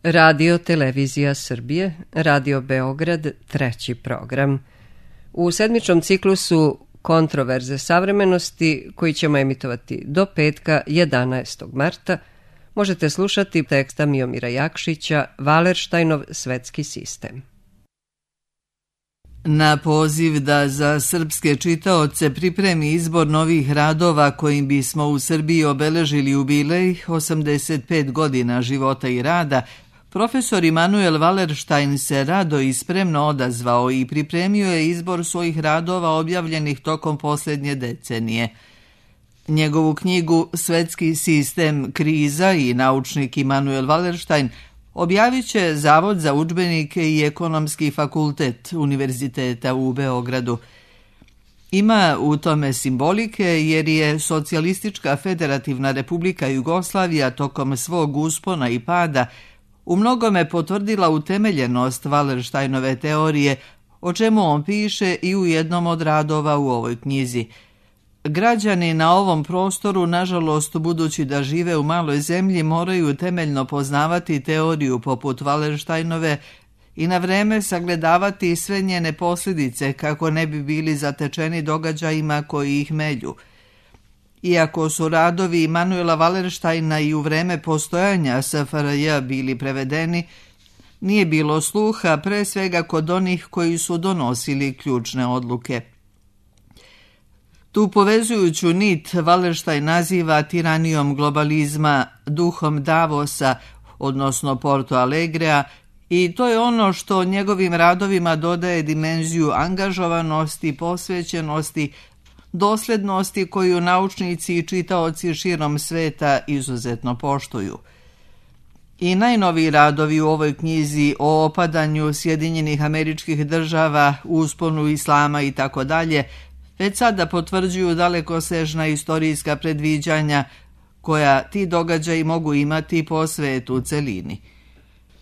Radio Televizija Srbije, Radio Beograd, treći program. U sedmičnom ciklusu Kontroverze savremenosti, koji ćemo emitovati do petka 11. marta, možete slušati teksta Miomira Jakšića Wallersteinov svetski sistem. Na poziv da za srpske čitaoce pripremi izbor novih radova kojim bismo u Srbiji obeležili jubilej 85 godina života i rada, profesor Immanuel Wallerstein se rado i spremno odazvao i pripremio je izbor svojih radova objavljenih tokom posljednje decenije. Njegovu knjigu Svetski sistem, kriza i naučnik Immanuel Wallerstein objavit će Zavod za udžbenike i Ekonomski fakultet Univerziteta u Beogradu. Ima u tome simbolike jer je Socijalistička federativna republika Jugoslavija tokom svog uspona i pada u mnogome potvrdila utemeljenost Wallersteinove teorije, o čemu on piše i u jednom od radova u ovoj knjizi. Građani na ovom prostoru, nažalost, budući da žive u maloj zemlji, moraju temeljno poznavati teoriju poput Wallersteinove i na vreme sagledavati sve njene posljedice kako ne bi bili zatečeni događajima koji ih melju. Iako su radovi Immanuela Wallersteina i u vreme postojanja SFRJ bili prevedeni, nije bilo sluha pre svega kod onih koji su donosili ključne odluke. Tu povezujuću nit Wallerstein naziva tiranijom globalizma, duhom Davosa, odnosno Porto Alegrea, i to je ono što njegovim radovima dodaje dimenziju angažovanosti, posvećenosti, doslednosti koju naučnici i čitaoci širom sveta izuzetno poštuju. I najnoviji radovi u ovoj knjizi o opadanju Sjedinjenih Američkih Država, usponu islama i tako dalje, već sada potvrđuju dalekosežna istorijska predviđanja koja ti događaji mogu imati po svetu u celini.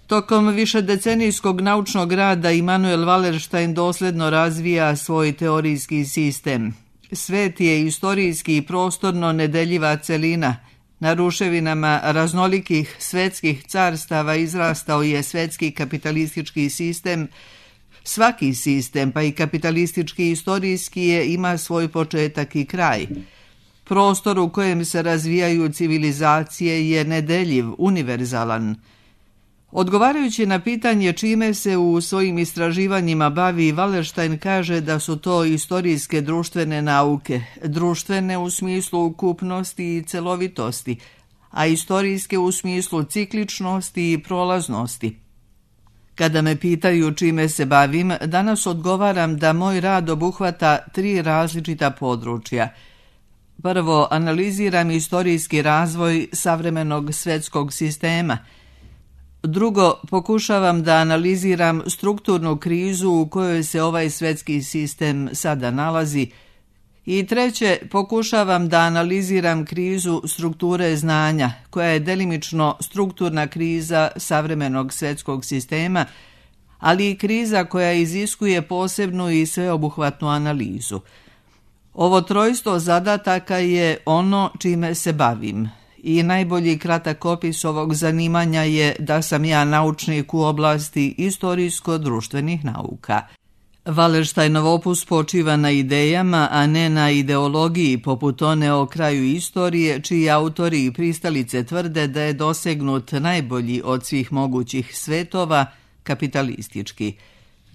Tokom višedecenijskog naučnog rada Immanuel Wallerstein dosledno razvija svoj teorijski sistem. Svet je istorijski i prostorno nedeljiva celina. Na ruševinama raznolikih svetskih carstava izrastao je svetski kapitalistički sistem. Svaki sistem, pa i kapitalistički i istorijski ima svoj početak i kraj. Prostor u kojem se razvijaju civilizacije je nedeljiv, univerzalan. Odgovarajući na pitanje čime se u svojim istraživanjima bavi, Wallerstein kaže da su to istorijske društvene nauke, društvene u smislu ukupnosti i celovitosti, a istorijske u smislu cikličnosti i prolaznosti. Kada me pitaju čime se bavim, danas odgovaram da moj rad obuhvata 3 različita područja. Prvo, analiziram istorijski razvoj savremenog svetskog sistema. Drugo, pokušavam da analiziram strukturnu krizu u kojoj se ovaj svetski sistem sada nalazi. I treće, pokušavam da analiziram krizu strukture znanja, koja je delimično strukturna kriza savremenog svetskog sistema, ali i kriza koja iziskuje posebnu i sveobuhvatnu analizu. Ovo trojstvo zadataka je ono čime se bavim. I najbolji kratak opis ovog zanimanja je da sam ja naučnik u oblasti istorijsko-društvenih nauka. Wallersteinov opus počiva na idejama, a ne na ideologiji, poput one o kraju istorije, čiji autori i pristalice tvrde da je dosegnut najbolji od svih mogućih svetova, kapitalistički.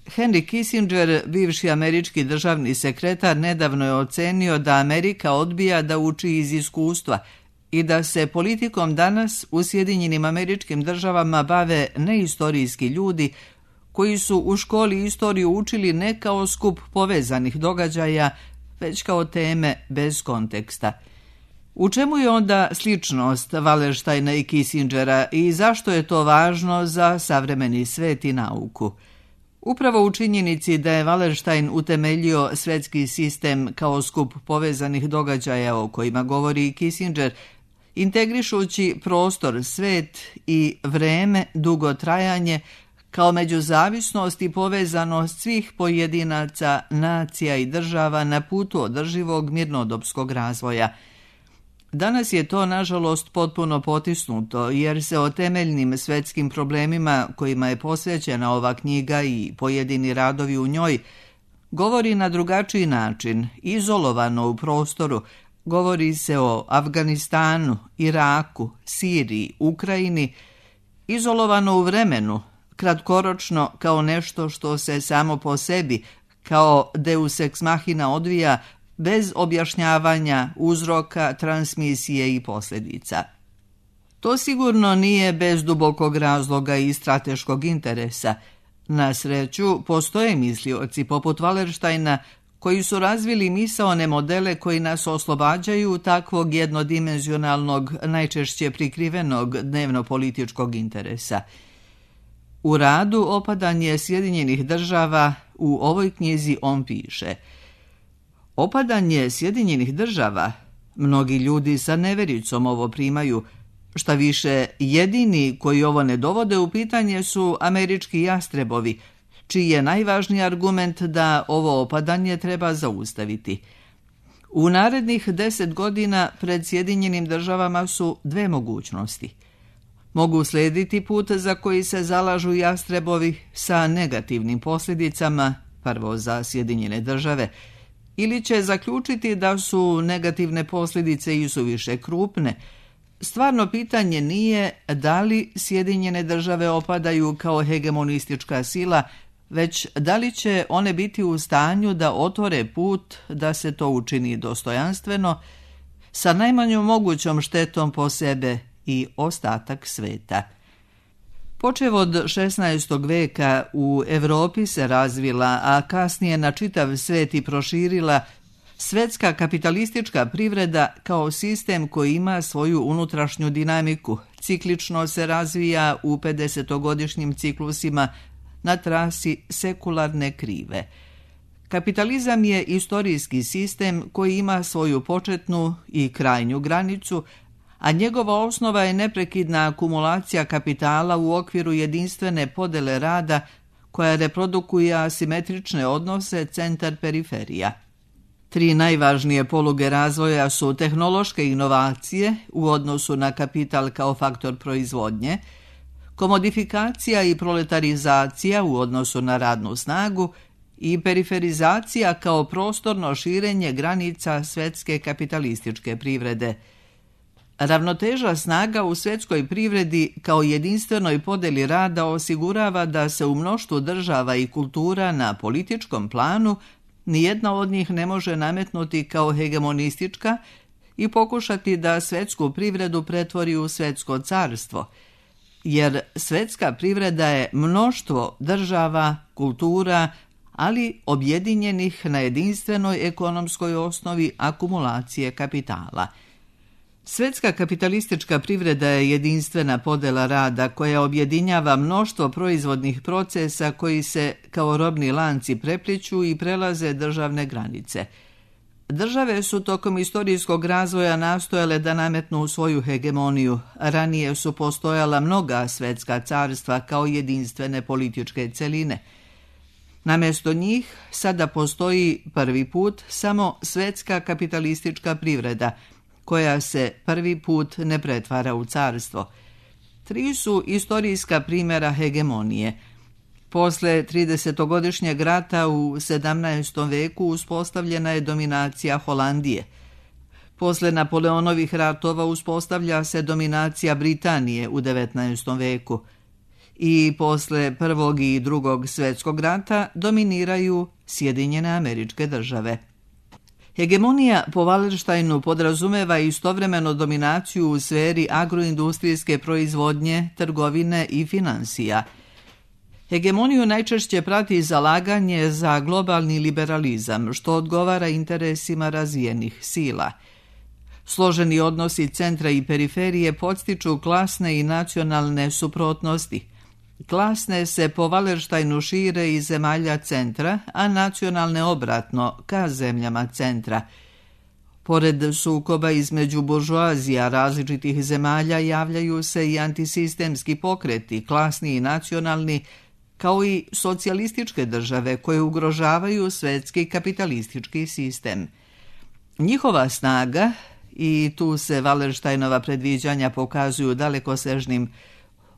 Henry Kissinger, bivši američki državni sekretar, nedavno je ocenio da Amerika odbija da uči iz iskustva i da se politikom danas u Sjedinjenim Američkim Državama bave neistorijski ljudi koji su u školi istoriju učili ne kao skup povezanih događaja, već kao teme bez konteksta. U čemu je onda sličnost Wallersteina i Kissingera i zašto je to važno za savremeni svet i nauku? Upravo u činjenici da je Wallerstein utemeljio svetski sistem kao skup povezanih događaja o kojima govori i Kissinger, integrišući prostor, svet i vreme, dugotrajanje, kao međuzavisnost i povezanost svih pojedinaca, nacija i država na putu održivog mirnodopskog razvoja. Danas je to, nažalost, potpuno potisnuto, jer se o temeljnim svetskim problemima kojima je posvećena ova knjiga i pojedini radovi u njoj govori na drugačiji način, izolovano u prostoru. Govori se o Afganistanu, Iraku, Siriji, Ukrajini, izolovano u vremenu, kratkoročno kao nešto što se samo po sebi, kao deus ex machina odvija, bez objašnjavanja uzroka, transmisije i posljedica. To sigurno nije bez dubokog razloga i strateškog interesa. Na sreću, postoje mislioci poput Wallersteina koji su razvili misaone modele koji nas oslobađaju takvog jednodimenzionalnog, najčešće prikrivenog dnevno-političkog interesa. U radu Opadanje Sjedinjenih država u ovoj knjizi on piše: opadanje Sjedinjenih država, mnogi ljudi sa nevericom ovo primaju, šta više, jedini koji ovo ne dovode u pitanje su američki jastrebovi, čiji je najvažniji argument da ovo opadanje treba zaustaviti. U narednih 10 godina pred Sjedinjenim državama su dve mogućnosti. Mogu slijediti put za koji se zalažu jastrebovi sa negativnim posljedicama, prvo za Sjedinjene države, ili će zaključiti da su negativne posljedice i suviše krupne. Stvarno pitanje nije da li Sjedinjene države opadaju kao hegemonistička sila, već da li će one biti u stanju da otvore put da se to učini dostojanstveno, sa najmanjom mogućom štetom po sebe i ostatak sveta. Počev od 16. veka u Europi se razvila, a kasnije na čitav svet i proširila svetska kapitalistička privreda kao sistem koji ima svoju unutrašnju dinamiku. Ciklično se razvija u 50-godišnjim ciklusima na trasi sekularne krive. Kapitalizam je istorijski sistem koji ima svoju početnu i krajnju granicu, a njegova osnova je neprekidna akumulacija kapitala u okviru jedinstvene podele rada koja reprodukuje asimetrične odnose centar-periferija. Tri najvažnije poluge razvoja su tehnološke inovacije u odnosu na kapital kao faktor proizvodnje, komodifikacija i proletarizacija u odnosu na radnu snagu i periferizacija kao prostorno širenje granica svetske kapitalističke privrede. Ravnoteža snaga u svjetskoj privredi kao jedinstvenoj podeli rada osigurava da se u mnoštvu država i kultura na političkom planu nijedna od njih ne može nametnuti kao hegemonistička i pokušati da svjetsku privredu pretvori u svjetsko carstvo, jer svjetska privreda je mnoštvo država, kultura, ali objedinjenih na jedinstvenoj ekonomskoj osnovi akumulacije kapitala. Svjetska kapitalistička privreda je jedinstvena podela rada koja objedinjava mnoštvo proizvodnih procesa koji se kao robni lanci prepliću i prelaze državne granice. Države su tokom istorijskog razvoja nastojale da nametnu svoju hegemoniju. Ranije su postojala mnoga svjetska carstva kao jedinstvene političke celine. Namjesto njih sada postoji prvi put samo svjetska kapitalistička privreda, koja se prvi put ne pretvara u carstvo. Tri su istorijska primjera hegemonije. Posle 30-godišnjeg rata u 17. veku uspostavljena je dominacija Holandije. Posle Napoleonovih ratova uspostavlja se dominacija Britanije u 19. veku. I posle Prvog i Drugog svjetskog rata dominiraju Sjedinjene Američke Države. Hegemonija po Wallersteinu podrazumeva istovremeno dominaciju u sferi agroindustrijske proizvodnje, trgovine i financija. Hegemoniju najčešće prati zalaganje za globalni liberalizam, što odgovara interesima razvijenih sila. Složeni odnosi centra i periferije podstiču klasne i nacionalne suprotnosti. Klasne se po Wallersteinu šire iz zemalja centra, a nacionalne obratno, ka zemljama centra. Pored sukoba između buržoazija različitih zemalja javljaju se i antisistemski pokreti, klasni i nacionalni, kao i socijalističke države koje ugrožavaju svetski kapitalistički sistem. Njihova snaga i tu se Wallersteinova predviđanja pokazuju dalekosežnim.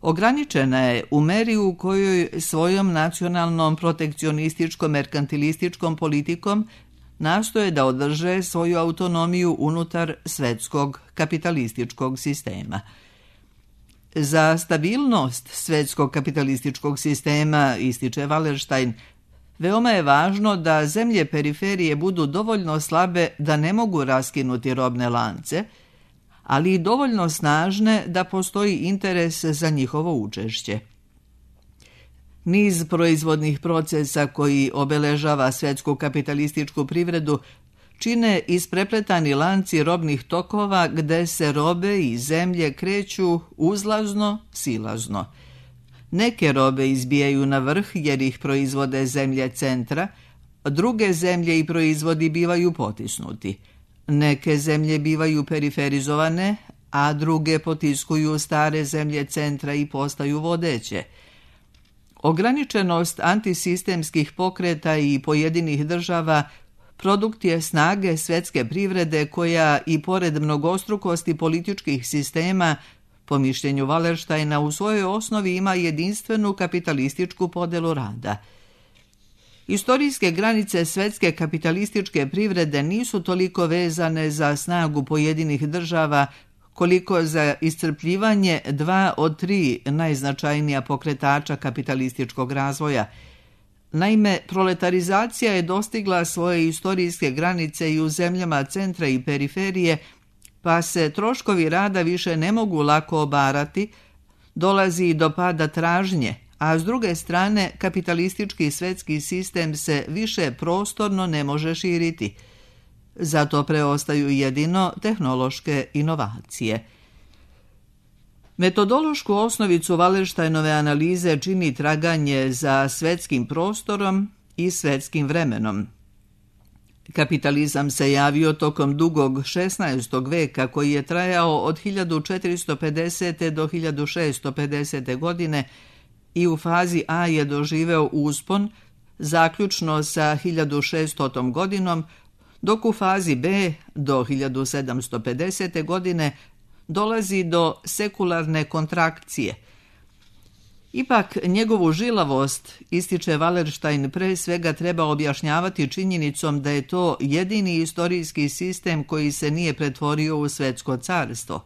Ograničena je u meri u kojoj svojom nacionalnom protekcionističko-merkantilističkom politikom nastoje da održe svoju autonomiju unutar svetskog kapitalističkog sistema. Za stabilnost svetskog kapitalističkog sistema, ističe Wallerstein, veoma je važno da zemlje periferije budu dovoljno slabe da ne mogu raskinuti robne lance, ali i dovoljno snažne da postoji interes za njihovo učešće. Niz proizvodnih procesa koji obeležava svetsku kapitalističku privredu čine isprepletani lanci robnih tokova gde se robe i zemlje kreću uzlazno, silazno. Neke robe izbijaju na vrh jer ih proizvode zemlje centra, druge zemlje i proizvodi bivaju potisnuti. Neke zemlje bivaju periferizovane, a druge potiskuju stare zemlje centra i postaju vodeće. Ograničenost antisistemskih pokreta i pojedinih država produkt je snage svetske privrede koja i pored mnogostrukosti političkih sistema, po mišljenju Wallersteina, u svojoj osnovi ima jedinstvenu kapitalističku podelu rada. Istorijske granice svetske kapitalističke privrede nisu toliko vezane za snagu pojedinih država koliko za iscrpljivanje 2 od 3 najznačajnija pokretača kapitalističkog razvoja. Naime, proletarizacija je dostigla svoje istorijske granice i u zemljama centra i periferije, pa se troškovi rada više ne mogu lako obarati, dolazi do pada tražnje, a s druge strane kapitalistički svetski sistem se više prostorno ne može širiti. Zato preostaju jedino tehnološke inovacije. Metodološku osnovicu Wallersteinove analize čini traganje za svetskim prostorom i svetskim vremenom. Kapitalizam se javio tokom dugog 16. veka koji je trajao od 1450. do 1650. godine i u fazi A je doživeo uspon, zaključno sa 1600. godinom, dok u fazi B do 1750. godine dolazi do sekularne kontrakcije. Ipak njegovu žilavost, ističe Wallerstein, pre svega treba objašnjavati činjenicom da je to jedini istorijski sistem koji se nije pretvorio u svetsko carstvo.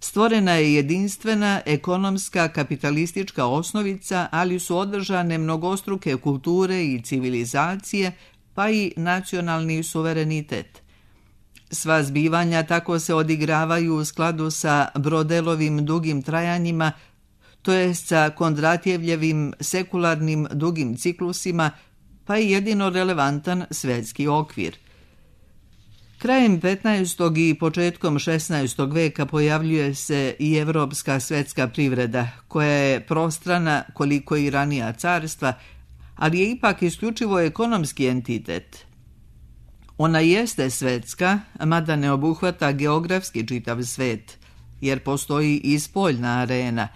Stvorena je jedinstvena ekonomska kapitalistička osnovica, ali su održane mnogostruke kulture i civilizacije, pa i nacionalni suverenitet. Sva zbivanja tako se odigravaju u skladu sa Brodelovim dugim trajanjima, to je sa Kondratjevljevim sekularnim dugim ciklusima, pa i jedino relevantan svetski okvir. Krajem 15. i početkom 16. veka pojavljuje se i evropska svetska privreda, koja je prostrana koliko i ranija carstva, ali je ipak isključivo ekonomski entitet. Ona jeste svetska, mada ne obuhvata geografski čitav svet, jer postoji i spoljna arena.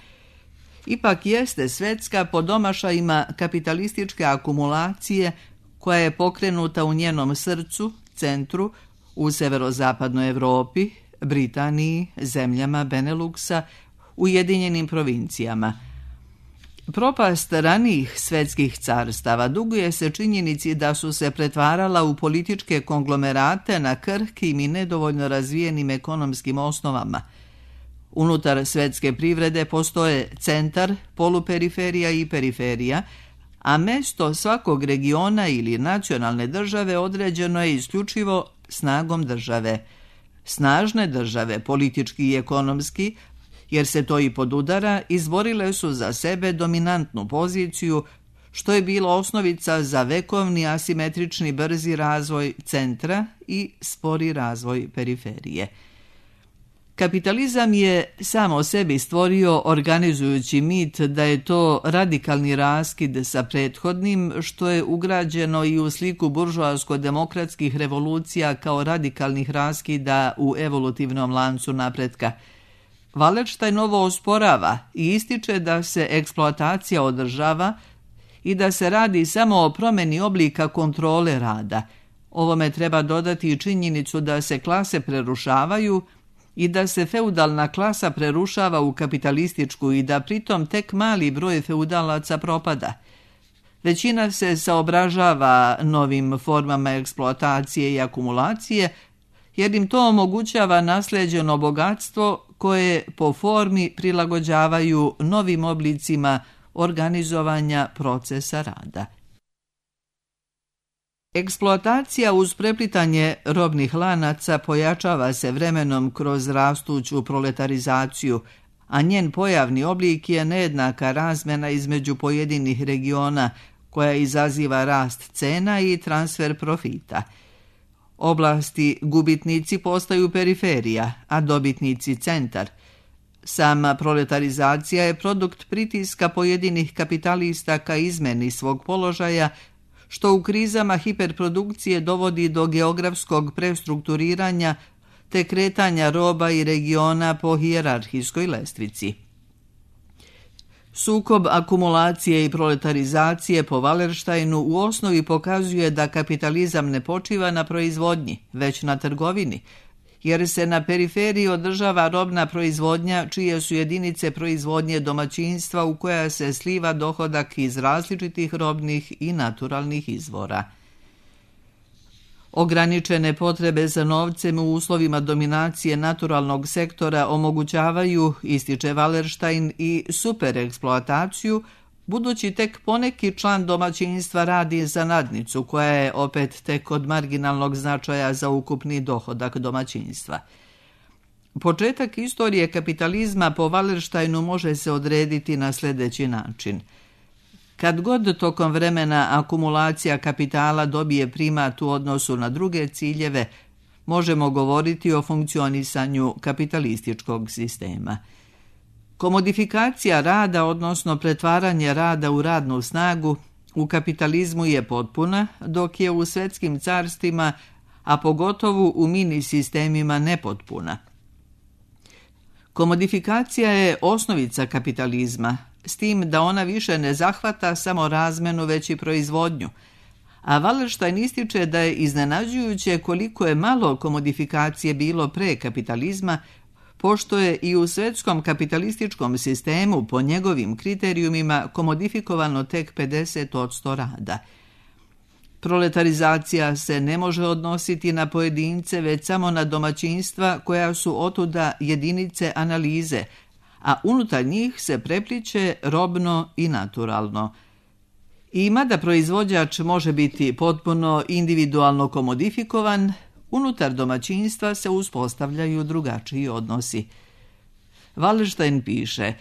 Ipak jeste svetska po domašajima kapitalističke akumulacije koja je pokrenuta u njenom srcu, centru, u severozapadnoj Evropi, Britaniji, zemljama Beneluksa, Ujedinjenim provincijama. Propast ranijih svetskih carstava duguje se činjenici da su se pretvarala u političke konglomerate na krhkim i nedovoljno razvijenim ekonomskim osnovama. Unutar svetske privrede postoje centar, poluperiferija i periferija, a mesto svakog regiona ili nacionalne države određeno je isključivo snagom države. Snažne države, politički i ekonomski, jer se to i podudara, izborile su za sebe dominantnu poziciju, što je bila osnovica za vekovni asimetrični brzi razvoj centra i spori razvoj periferije. Kapitalizam je samo sebi stvorio organizujući mit da je to radikalni raskid sa prethodnim, što je ugrađeno i u sliku buržoasko-demokratskih revolucija kao radikalnih raskida u evolutivnom lancu napretka. Wallerstein ovo osporava i ističe da se eksploatacija održava i da se radi samo o promjeni oblika kontrole rada. Ovome treba dodati i činjenicu da se klase prerušavaju i da se feudalna klasa prerušava u kapitalističku i da pritom tek mali broj feudalaca propada. Većina se saobražava novim formama eksploatacije i akumulacije, jer im to omogućava naslijeđeno bogatstvo koje po formi prilagođavaju novim oblicima organizovanja procesa rada. Eksploatacija uz preplitanje robnih lanaca pojačava se vremenom kroz rastuću proletarizaciju, a njen pojavni oblik je nejednaka razmjena između pojedinih regiona koja izaziva rast cena i transfer profita. Oblasti gubitnici postaju periferija, a dobitnici centar. Sama proletarizacija je produkt pritiska pojedinih kapitalista ka izmeni svog položaja, što u krizama hiperprodukcije dovodi do geografskog prestrukturiranja te kretanja roba i regiona po hijerarhijskoj lestvici. Sukob akumulacije i proletarizacije po Wallersteinu u osnovi pokazuje da kapitalizam ne počiva na proizvodnji, već na trgovini, jer se na periferiji održava robna proizvodnja čije su jedinice proizvodnje domaćinstva u koja se sliva dohodak iz različitih robnih i naturalnih izvora. Ograničene potrebe za novcem u uslovima dominacije naturalnog sektora omogućavaju, ističe Wallerstein, i supereksploataciju, budući tek poneki član domaćinstva radi za nadnicu, koja je opet tek od marginalnog značaja za ukupni dohodak domaćinstva. Početak istorije kapitalizma po Wallersteinu može se odrediti na sljedeći način. Kad god tokom vremena akumulacija kapitala dobije primat u odnosu na druge ciljeve, možemo govoriti o funkcionisanju kapitalističkog sistema. Komodifikacija rada, odnosno pretvaranje rada u radnu snagu, u kapitalizmu je potpuna, dok je u svjetskim carstvima, a pogotovo u mini sistemima, nepotpuna. Komodifikacija je osnovica kapitalizma, s tim da ona više ne zahvata samo razmenu, već i proizvodnju. A Wallerstein ističe da je iznenađujuće koliko je malo komodifikacije bilo pre kapitalizma, pošto je i u svjetskom kapitalističkom sistemu po njegovim kriterijumima komodifikovano tek 50% rada. Proletarizacija se ne može odnositi na pojedince, već samo na domaćinstva koja su otuda jedinice analize, a unutar njih se prepliče robno i naturalno. I mada proizvođač može biti potpuno individualno komodifikovan, unutar domaćinstva se uspostavljaju drugačiji odnosi. Wallerstein piše: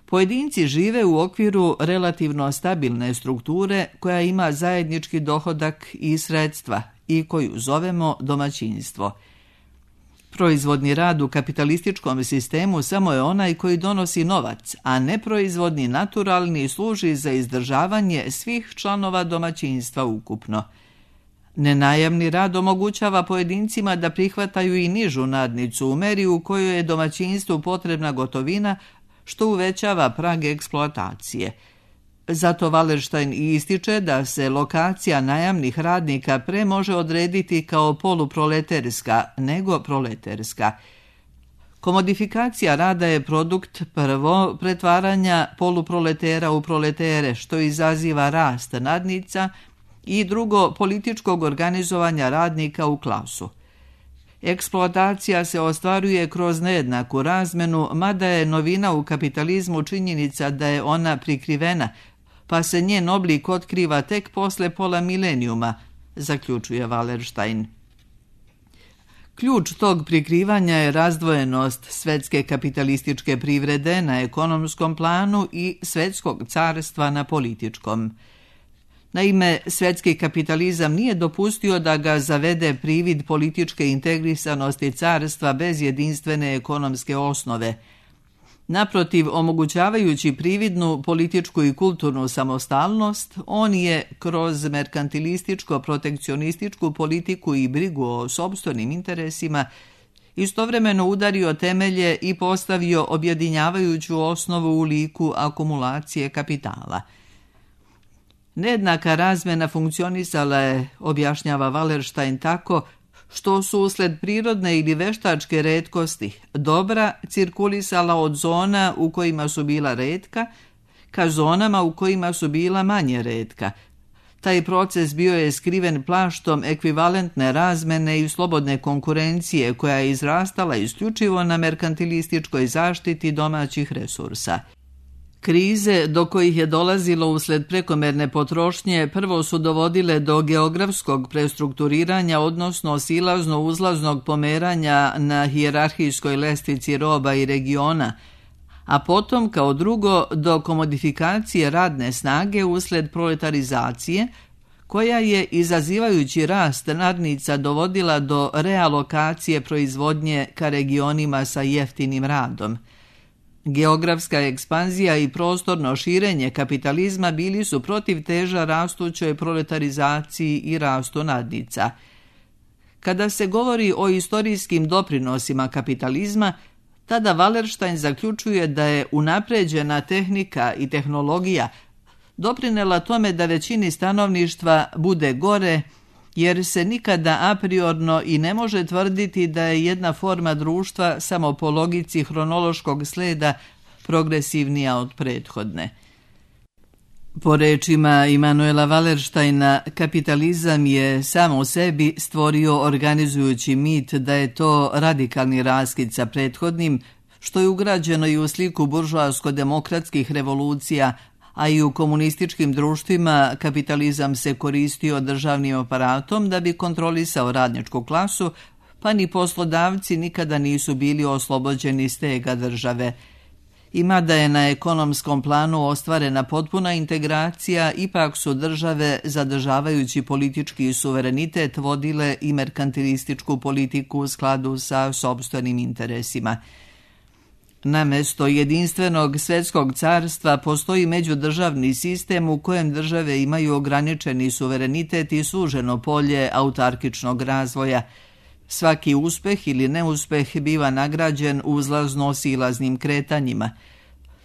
pojedinci žive u okviru relativno stabilne strukture koja ima zajednički dohodak i sredstva i koju zovemo domaćinstvo. Proizvodni rad u kapitalističkom sistemu samo je onaj koji donosi novac, a neproizvodni naturalni služi za izdržavanje svih članova domaćinstva ukupno. Nenajamni rad omogućava pojedincima da prihvataju i nižu nadnicu u meri u kojoj je domaćinstvu potrebna gotovina, što uvećava prag eksploatacije. Zato Wallerstein ističe da se lokacija najamnih radnika pre može odrediti kao poluproleterska nego proleterska. Komodifikacija rada je produkt prvo pretvaranja poluproletera u proletere, što izaziva rast nadnica, i drugo političkog organizovanja radnika u klasu. Eksploatacija se ostvaruje kroz nejednaku razmenu, mada je novina u kapitalizmu činjenica da je ona prikrivena, pa se njen oblik otkriva tek posle pola milenijuma, zaključuje Wallerstein. Ključ tog prikrivanja je razdvojenost svjetske kapitalističke privrede na ekonomskom planu i svjetskog carstva na političkom. Naime, svjetski kapitalizam nije dopustio da ga zavede privid političke integrisanosti carstva bez jedinstvene ekonomske osnove. Naprotiv, omogućavajući prividnu političku i kulturnu samostalnost, on je kroz merkantilističko-protekcionističku politiku i brigu o sopstvenim interesima istovremeno udario temelje i postavio objedinjavajuću osnovu u liku akumulacije kapitala. Nejednaka razmjena funkcionisala je, objašnjava Wallerstein, tako što su usled prirodne ili veštačke retkosti dobra cirkulisala od zona u kojima su bila retka ka zonama u kojima su bila manje retka. Taj proces bio je skriven plaštom ekvivalentne razmene i slobodne konkurencije koja je izrastala isključivo na merkantilističkoj zaštiti domaćih resursa. Krize do kojih je dolazilo usled prekomerne potrošnje prvo su dovodile do geografskog prestrukturiranja, odnosno silazno-uzlaznog pomeranja na hijerarhijskoj lestvici roba i regiona, a potom kao drugo do komodifikacije radne snage usled proletarizacije, koja je, izazivajući rast nadnica, dovodila do realokacije proizvodnje ka regionima sa jeftinim radom. Geografska ekspanzija i prostorno širenje kapitalizma bili su protiv teža rastućoj proletarizaciji i rastu nadnica. Kada se govori o istorijskim doprinosima kapitalizma, tada Wallerstein zaključuje da je unapređena tehnika i tehnologija doprinela tome da većini stanovništva bude gore, jer se nikada apriorno i ne može tvrditi da je jedna forma društva samo po logici hronološkog sleda progresivnija od prethodne. Po rečima Immanuela Wallersteina, kapitalizam je sam u sebi stvorio organizujući mit da je to radikalni raskid sa prethodnim, što je ugrađeno i u sliku buržoasko-demokratskih revolucija, a i u komunističkim društvima kapitalizam se koristio državnim aparatom da bi kontrolisao radničku klasu, pa ni poslodavci nikada nisu bili oslobođeni stega države. I mada je na ekonomskom planu ostvarena potpuna integracija, ipak su države, zadržavajući politički suverenitet, vodile i merkantilističku politiku u skladu sa sopstvenim interesima. Namesto jedinstvenog svjetskog carstva postoji međudržavni sistem u kojem države imaju ograničeni suverenitet i suženo polje autarkičnog razvoja. Svaki uspeh ili neuspeh biva nagrađen uzlazno-silaznim kretanjima.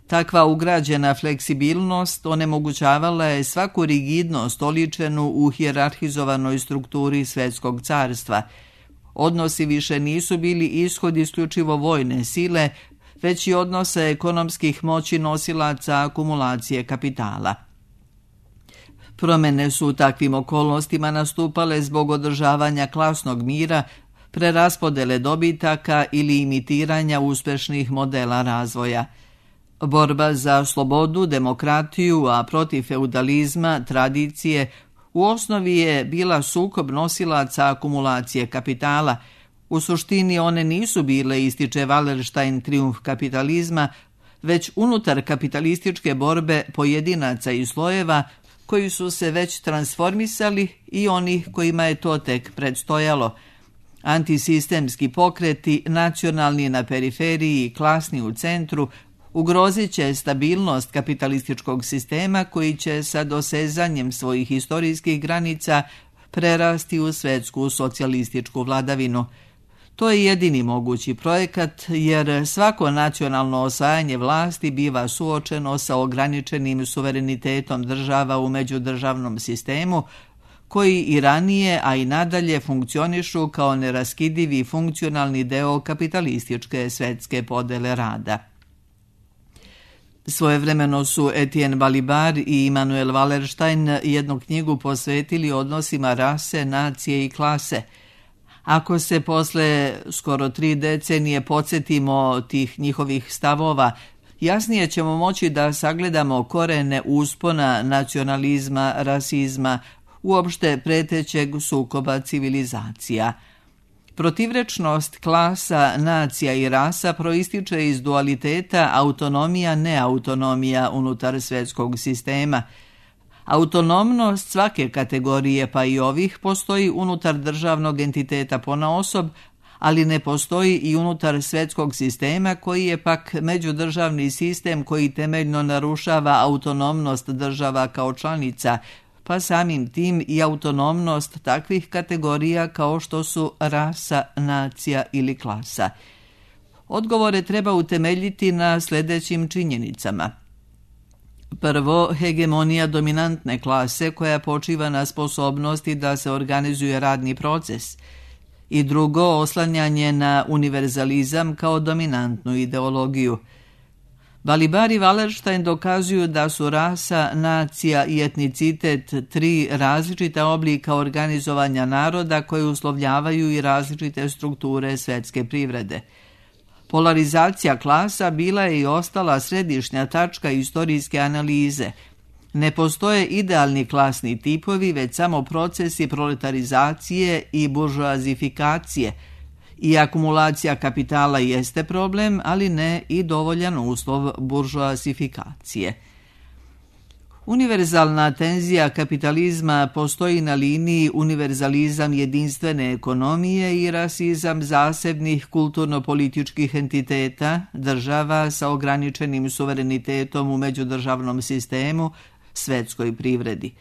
Takva ugrađena fleksibilnost onemogućavala je svaku rigidnost oličenu u hijerarhizovanoj strukturi svjetskog carstva. Odnosi više nisu bili ishod isključivo vojne sile, već i odnose ekonomskih moći nosilaca akumulacije kapitala. Promjene su u takvim okolnostima nastupale zbog održavanja klasnog mira, preraspodele dobitaka ili imitiranja uspješnih modela razvoja. Borba za slobodu, demokratiju, a protiv feudalizma, tradicije, u osnovi je bila sukob nosilaca akumulacije kapitala. U suštini one nisu bile, ističe Wallerstein, trijumf kapitalizma, već unutar kapitalističke borbe pojedinaca i slojeva koji su se već transformisali i onih kojima je to tek predstojalo. Antisistemski pokreti, nacionalni na periferiji i klasni u centru, ugrozit će stabilnost kapitalističkog sistema koji će sa dosezanjem svojih historijskih granica prerasti u svjetsku socijalističku vladavinu. To je jedini mogući projekat, jer svako nacionalno osvajanje vlasti biva suočeno sa ograničenim suverenitetom država u međudržavnom sistemu, koji i ranije, a i nadalje funkcionišu kao neraskidivi funkcionalni deo kapitalističke svjetske podele rada. Svojevremeno su Etienne Balibar i Immanuel Wallerstein jednu knjigu posvetili odnosima rase, nacije i klase. Ako se posle skoro 3 decenije podsjetimo tih njihovih stavova, jasnije ćemo moći da sagledamo korene uspona nacionalizma, rasizma, uopšte pretećeg sukoba civilizacija. Protivrečnost klasa, nacija i rasa proističe iz dualiteta autonomija-neautonomija unutar svjetskog sistema. Autonomnost svake kategorije, pa i ovih, postoji unutar državnog entiteta ponaosob, ali ne postoji i unutar svjetskog sistema koji je pak međudržavni sistem koji temeljno narušava autonomnost država kao članica, pa samim tim i autonomnost takvih kategorija kao što su rasa, nacija ili klasa. Odgovore treba utemeljiti na sljedećim činjenicama. Prvo, hegemonija dominantne klase koja počiva na sposobnosti da se organizuje radni proces. I drugo, oslanjanje na univerzalizam kao dominantnu ideologiju. Balibar i Wallerstein dokazuju da su rasa, nacija i etnicitet tri različita oblika organizovanja naroda koje uslovljavaju i različite strukture svetske privrede. Polarizacija klasa bila je i ostala središnja tačka istorijske analize. Ne postoje idealni klasni tipovi, već samo procesi proletarizacije i buržoazifikacije. I akumulacija kapitala jeste problem, ali ne i dovoljan uslov buržoazifikacije. Univerzalna tenzija kapitalizma postoji na liniji univerzalizam jedinstvene ekonomije i rasizam zasebnih kulturno-političkih entiteta, država sa ograničenim suverenitetom u međudržavnom sistemu, svetskoj privredi.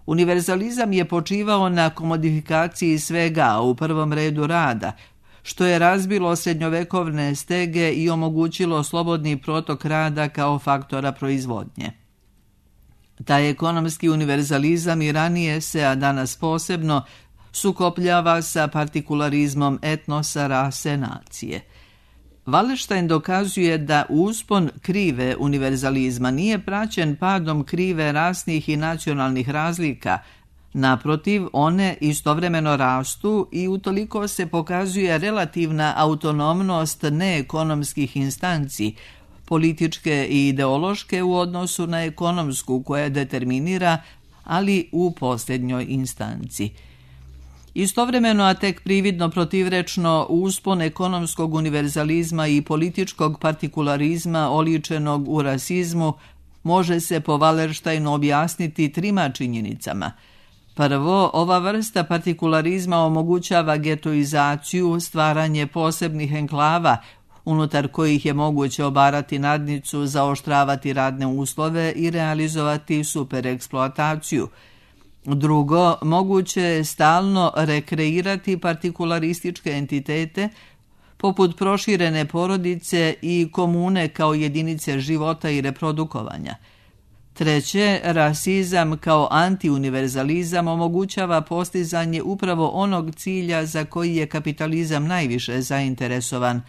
Univerzalizam je počivao na komodifikaciji svega, a u prvom redu rada, što je razbilo srednjovekovne stege i omogućilo slobodni protok rada kao faktora proizvodnje. Taj ekonomski univerzalizam i ranije se, a danas posebno, sukopljava sa partikularizmom etnosa, rase, nacije. Wallerstein dokazuje da uspon krive univerzalizma nije praćen padom krive rasnih i nacionalnih razlika. Naprotiv, one istovremeno rastu i utoliko se pokazuje relativna autonomnost neekonomskih instanci, političke i ideološke u odnosu na ekonomsku koja determinira, ali u posljednjoj instanci. Istovremeno, a tek prividno protivrečno, uspon ekonomskog univerzalizma i političkog partikularizma oličenog u rasizmu može se po Wallersteinu objasniti trima činjenicama. Prvo, ova vrsta partikularizma omogućava getoizaciju, stvaranje posebnih enklava, unutar kojih je moguće obarati nadnicu, zaoštravati radne uslove i realizovati supereksploataciju. Drugo, moguće je stalno rekreirati partikularističke entitete, poput proširene porodice i komune kao jedinice života i reprodukovanja. Treće, rasizam kao antiuniverzalizam omogućava postizanje upravo onog cilja za koji je kapitalizam najviše zainteresovan,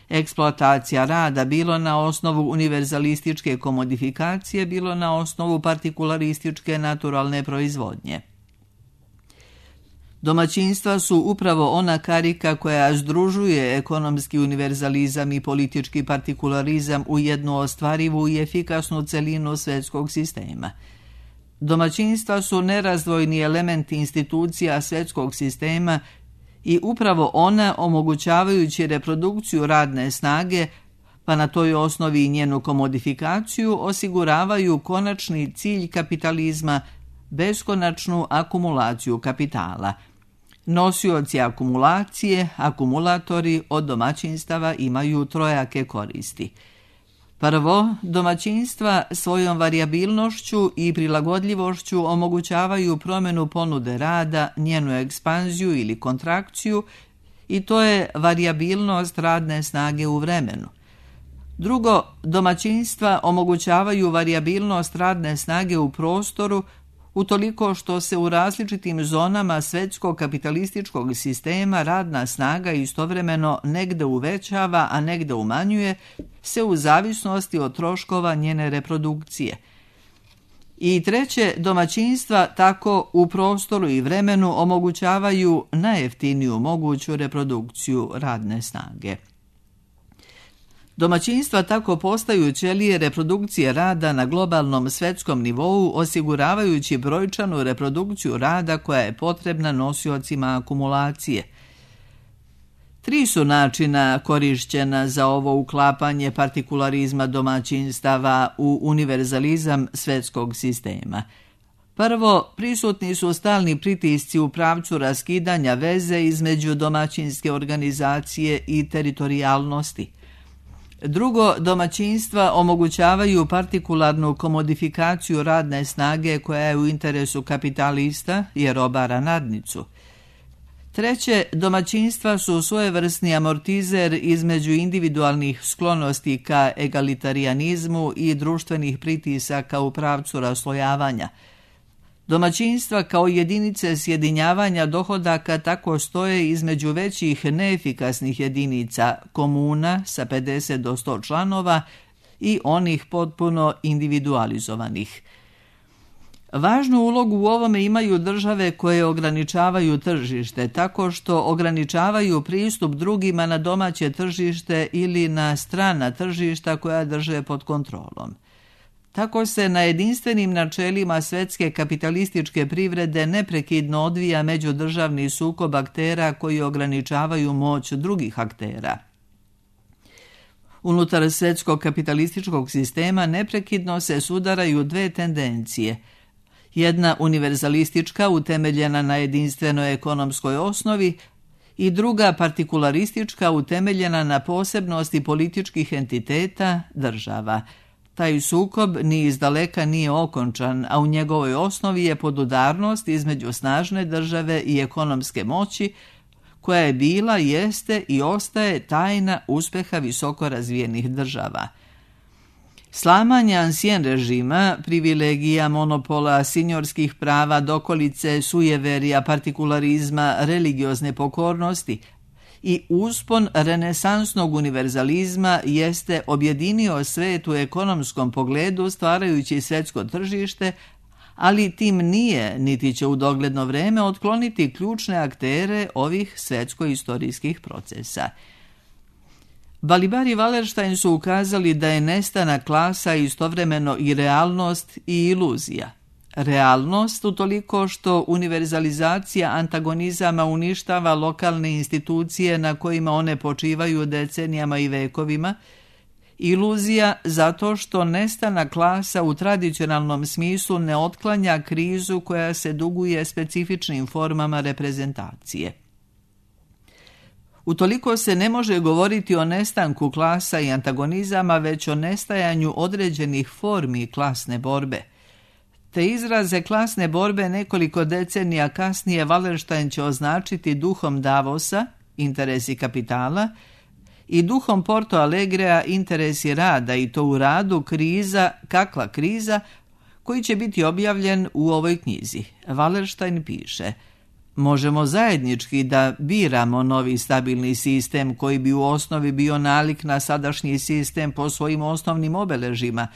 eksploatacija rada bilo na osnovu univerzalističke komodifikacije, bilo na osnovu partikularističke naturalne proizvodnje. Domaćinstva su upravo ona karika koja združuje ekonomski univerzalizam i politički partikularizam u jednu ostvarivu i efikasnu celinu svetskog sistema. Domaćinstva su nerazdvojni element institucija svetskog sistema i upravo ona, omogućavajući reprodukciju radne snage, pa na toj osnovi i njenu komodifikaciju, osiguravaju konačni cilj kapitalizma, beskonačnu akumulaciju kapitala. Nosioci akumulacije, akumulatori od domaćinstava imaju trojake koristi. Prvo, domaćinstva svojom varijabilnošću i prilagodljivošću omogućavaju promjenu ponude rada, njenu ekspanziju ili kontrakciju, i to je varijabilnost radne snage u vremenu. Drugo, domaćinstva omogućavaju varijabilnost radne snage u prostoru, utoliko što se u različitim zonama svetskog kapitalističkog sistema radna snaga istovremeno negde uvećava, a negde umanjuje se u zavisnosti od troškova njene reprodukcije. I treće, domaćinstva tako u prostoru i vremenu omogućavaju najjeftiniju moguću reprodukciju radne snage. Domaćinstva tako postaju ćelije reprodukcije rada na globalnom svetskom nivou, osiguravajući brojčanu reprodukciju rada koja je potrebna nosiocima akumulacije. Tri su načina korišćena za ovo uklapanje partikularizma domaćinstava u univerzalizam svetskog sistema. Prvo, prisutni su stalni pritisci u pravcu raskidanja veze između domaćinske organizacije i teritorijalnosti. Drugo, domaćinstva omogućavaju partikularnu komodifikaciju radne snage koja je u interesu kapitalista jer obara nadnicu. Treće, domaćinstva su svojevrsni amortizer između individualnih sklonosti ka egalitarijanizmu i društvenih pritisaka u pravcu raslojavanja. Domaćinstva kao jedinice sjedinjavanja dohodaka tako stoje između većih neefikasnih jedinica, komuna sa 50 do 100 članova i onih potpuno individualizovanih. Važnu ulogu u ovome imaju države koje ograničavaju tržište tako što ograničavaju pristup drugima na domaće tržište ili na strana tržišta koja drže pod kontrolom. Tako se na jedinstvenim načelima svetske kapitalističke privrede neprekidno odvija međudržavni sukob aktera koji ograničavaju moć drugih aktera. Unutar svetskog kapitalističkog sistema neprekidno se sudaraju dve tendencije. Jedna univerzalistička utemeljena na jedinstvenoj ekonomskoj osnovi i druga partikularistička utemeljena na posebnosti političkih entiteta, država. Taj sukob ni izdaleka nije okončan, a u njegovoj osnovi je podudarnost između snažne države i ekonomske moći, koja je bila, jeste i ostaje tajna uspeha visoko razvijenih država. Slamanje ansien režima, privilegija, monopola, sinjorskih prava, dokolice, sujeverija, partikularizma, religiozne pokornosti i uspon renesansnog univerzalizma jeste objedinio svet u ekonomskom pogledu stvarajući svetsko tržište, ali tim nije, niti će u dogledno vreme otkloniti ključne aktere ovih svetsko-istorijskih procesa. Balibar i Wallerstein su ukazali da je nestanak klasa istovremeno i realnost i iluzija. Realnost utoliko što univerzalizacija antagonizama uništava lokalne institucije na kojima one počivaju decenijama i vekovima, iluzija zato što nestanak klasa u tradicionalnom smislu ne otklanja krizu koja se duguje specifičnim formama reprezentacije. Utoliko se ne može govoriti o nestanku klasa i antagonizama, već o nestajanju određenih formi klasne borbe. Te izraze klasne borbe nekoliko decenija kasnije Wallerstein će označiti duhom Davosa, interesi kapitala, i duhom Porto Alegrea, interesi rada, i to u radu kriza, kakva kriza, koji će biti objavljen u ovoj knjizi. Wallerstein piše: možemo zajednički da biramo novi stabilni sistem koji bi u osnovi bio nalik na sadašnji sistem po svojim osnovnim obeležima,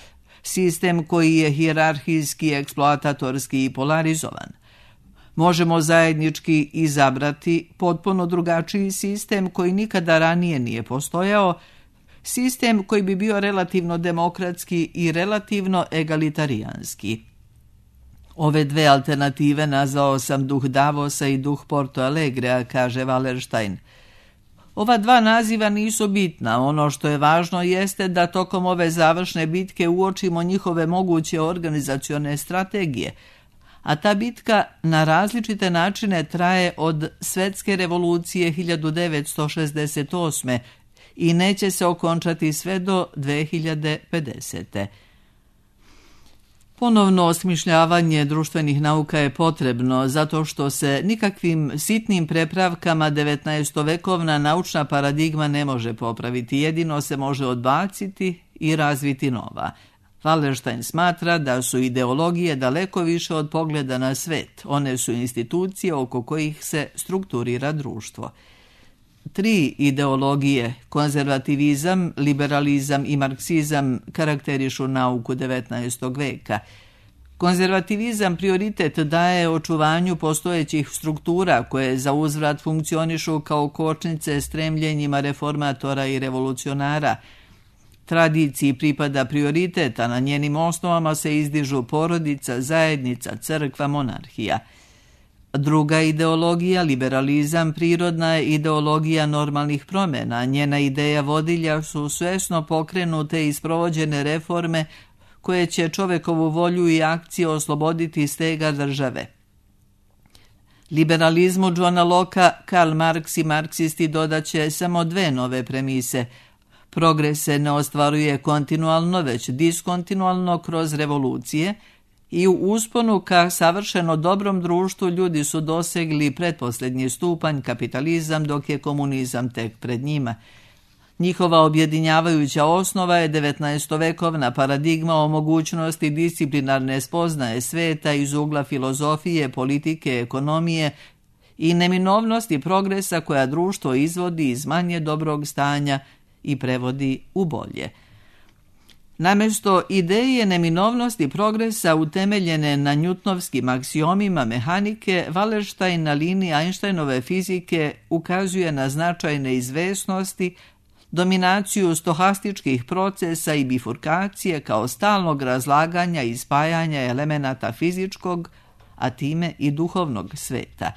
sistem koji je hijerarhijski, eksploatatorski i polarizovan. Možemo zajednički izabrati potpuno drugačiji sistem koji nikada ranije nije postojao, sistem koji bi bio relativno demokratski i relativno egalitarijanski. Ove dve alternative nazvao sam duh Davosa i duh Porto Alegrea, kaže Wallerstein. Ova dva naziva nisu bitna, ono što je važno jeste da tokom ove završne bitke uočimo njihove moguće organizacione strategije, a ta bitka na različite načine traje od svetske revolucije 1968. i neće se okončati sve do 2050. Ponovno osmišljavanje društvenih nauka je potrebno zato što se nikakvim sitnim prepravkama 19-vekovna naučna paradigma ne može popraviti, jedino se može odbaciti i razviti nova. Wallerstein smatra da su ideologije daleko više od pogleda na svet, one su institucije oko kojih se strukturira društvo. 3 ideologije, konzervativizam, liberalizam i marksizam, karakterišu nauku 19. veka. Konzervativizam prioritet daje očuvanju postojećih struktura koje za uzvrat funkcionišu kao kočnice stremljenjima reformatora i revolucionara. Tradiciji pripada prioritet, a na njenim osnovama se izdižu porodica, zajednica, crkva, monarhija. Druga ideologija, liberalizam, prirodna je ideologija normalnih promjena. Njena ideja vodilja su svesno pokrenute i sprovođene reforme koje će čovekovu volju i akcije osloboditi stega države. Liberalizmu Johna Locke, Karl Marx i marksisti dodaće samo 2 nove premise. Progres se ne ostvaruje kontinualno, već diskontinualno kroz revolucije i u usponu ka savršeno dobrom društvu ljudi su dosegli pretposljednji stupanj kapitalizam, dok je komunizam tek pred njima. Njihova objedinjavajuća osnova je 19-vekovna paradigma o mogućnosti disciplinarne spoznaje sveta iz ugla filozofije, politike, ekonomije i neminovnosti progresa koja društvo izvodi iz manje dobrog stanja i prevodi u bolje. Namjesto ideje neminovnosti progresa utemeljene na njutnovskim aksiomima mehanike, Wallerstein na liniji Einsteinove fizike ukazuje na značaj neizvesnosti, dominaciju stohastičkih procesa i bifurkacije kao stalnog razlaganja i spajanja elemenata fizičkog, a time i duhovnog sveta.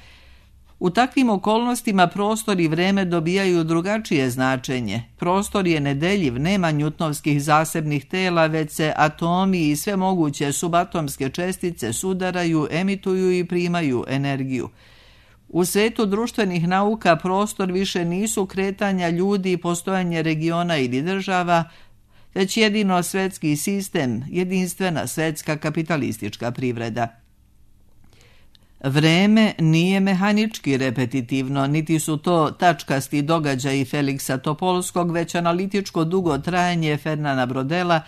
U takvim okolnostima prostor i vreme dobijaju drugačije značenje. Prostor je nedeljiv, nema njutnovskih zasebnih tela, već se atomi i sve moguće subatomske čestice sudaraju, emituju i primaju energiju. U svetu društvenih nauka prostor više nisu kretanja ljudi i postojanje regiona ili država, već jedino svetski sistem, jedinstvena svetska kapitalistička privreda. Vreme nije mehanički repetitivno, niti su to tačkasti događaji Feliksa Topolskog, već analitičko dugo trajanje Fernana Brodela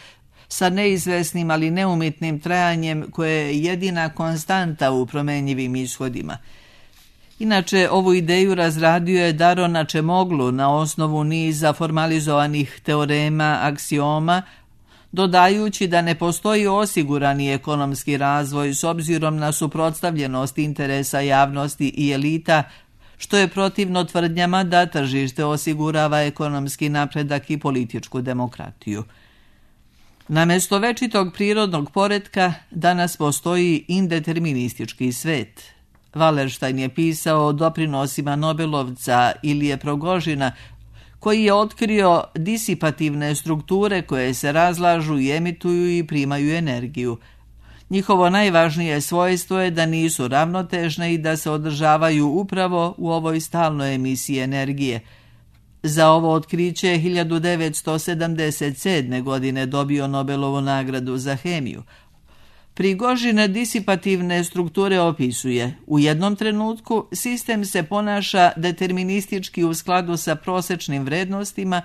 sa neizvesnim ali neumitnim trajanjem koje je jedina konstanta u promenjivim ishodima. Inače, ovu ideju razradio je Daron Acemoglu na osnovu niza formalizovanih teorema, aksioma, dodajući da ne postoji osigurani ekonomski razvoj s obzirom na suprotstavljenost interesa javnosti i elita, što je protivno tvrdnjama da tržište osigurava ekonomski napredak i političku demokratiju. Namjesto večitog prirodnog poretka danas postoji indeterministički svet. Wallerstein je pisao o doprinosima Nobelovca Ilije Progožina, koji je otkrio disipativne strukture koje se razlažu i emituju i primaju energiju. Njihovo najvažnije svojstvo je da nisu ravnotežne i da se održavaju upravo u ovoj stalnoj emisiji energije. Za ovo otkriće je 1977. godine dobio Nobelovu nagradu za hemiju. Prigožine disipativne strukture opisuje: u jednom trenutku sistem se ponaša deterministički u skladu sa prosječnim vrednostima,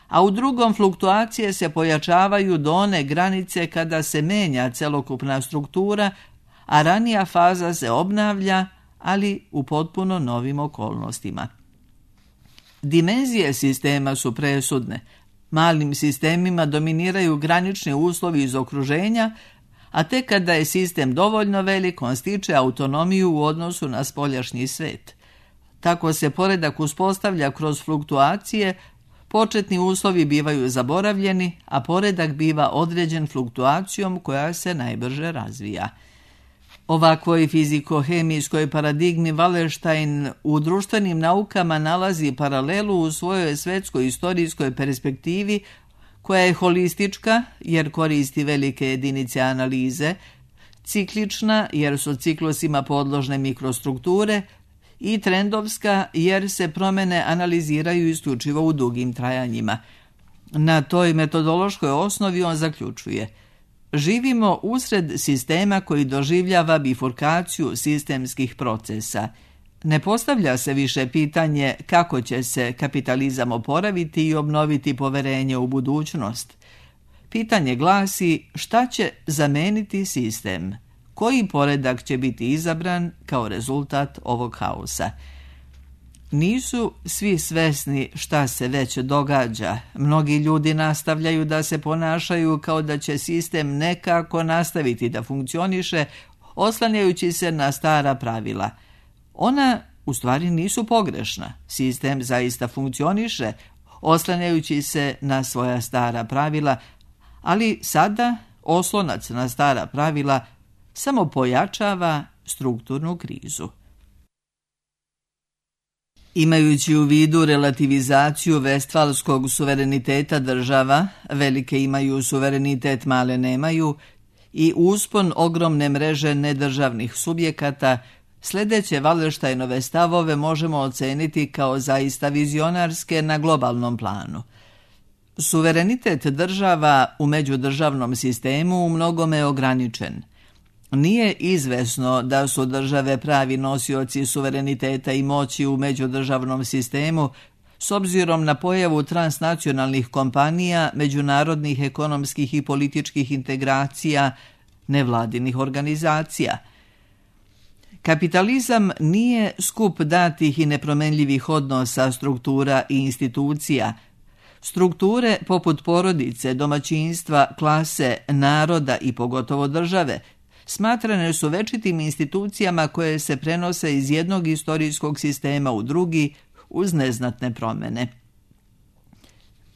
a u drugom fluktuacije se pojačavaju do one granice kada se menja celokupna struktura, a ranija faza se obnavlja, ali u potpuno novim okolnostima. Dimenzije sistema su presudne. Malim sistemima dominiraju granični uslovi iz okruženja, a tek kada je sistem dovoljno velik, on stiče autonomiju u odnosu na spoljašnji svet. Tako se poredak uspostavlja kroz fluktuacije, početni uslovi bivaju zaboravljeni, a poredak biva određen fluktuacijom koja se najbrže razvija. Ovakvoj fiziko-hemijskoj paradigmi Wallerstein u društvenim naukama nalazi paralelu u svojoj svetskoj istorijskoj perspektivi, koja je holistička jer koristi velike jedinice analize, ciklična jer su ciklusima podložne mikrostrukture i trendovska jer se promjene analiziraju isključivo u dugim trajanjima. Na toj metodološkoj osnovi on zaključuje: živimo usred sistema koji doživljava bifurkaciju sistemskih procesa. Ne postavlja se više pitanje kako će se kapitalizam oporaviti i obnoviti poverenje u budućnost. Pitanje glasi šta će zameniti sistem, koji poredak će biti izabran kao rezultat ovog haosa. Nisu svi svesni šta se već događa. Mnogi ljudi nastavljaju da se ponašaju kao da će sistem nekako nastaviti da funkcioniše, oslanjajući se na stara pravila. Ona u stvari nisu pogrešna. Sistem zaista funkcioniše, oslanjajući se na svoja stara pravila, ali sada oslonac na stara pravila samo pojačava strukturnu krizu. Imajući u vidu relativizaciju vestfalskog suvereniteta država, velike imaju suverenitet, male nemaju, i uspon ogromne mreže nedržavnih subjekata, sljedeće Wallersteinove stavove možemo oceniti kao zaista vizionarske na globalnom planu. Suverenitet država u međudržavnom sistemu u mnogome je ograničen. Nije izvesno da su države pravi nosioci suvereniteta i moći u međudržavnom sistemu s obzirom na pojavu transnacionalnih kompanija, međunarodnih ekonomskih i političkih integracija, nevladinih organizacija. Kapitalizam nije skup datih i nepromenljivih odnosa, struktura i institucija. Strukture poput porodice, domaćinstva, klase, naroda i pogotovo države smatrane su večitim institucijama koje se prenose iz jednog istorijskog sistema u drugi uz neznatne promjene.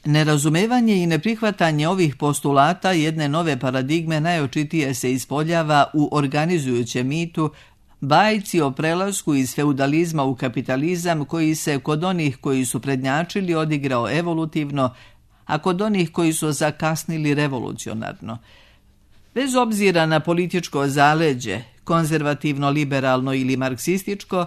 Nerazumevanje i neprihvatanje ovih postulata jedne nove paradigme najočitije se ispoljava u organizujućem mitu, bajci o prelasku iz feudalizma u kapitalizam koji se kod onih koji su prednjačili odigrao evolutivno, a kod onih koji su zakasnili revolucionarno. Bez obzira na političko zaleđe, konzervativno, liberalno ili marksističko,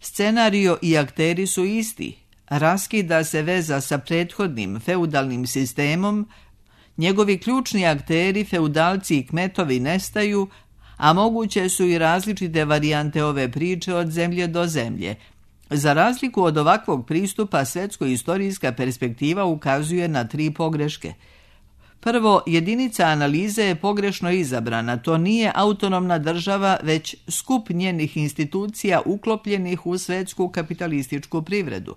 scenario i akteri su isti. Raskida se veza sa prethodnim feudalnim sistemom, njegovi ključni akteri, feudalci i kmetovi nestaju, a moguće su i različite varijante ove priče od zemlje do zemlje. Za razliku od ovakvog pristupa, svetsko-istorijska perspektiva ukazuje na 3 pogreške. Prvo, jedinica analize je pogrešno izabrana. To nije autonomna država, već skup njenih institucija uklopljenih u svetsku kapitalističku privredu.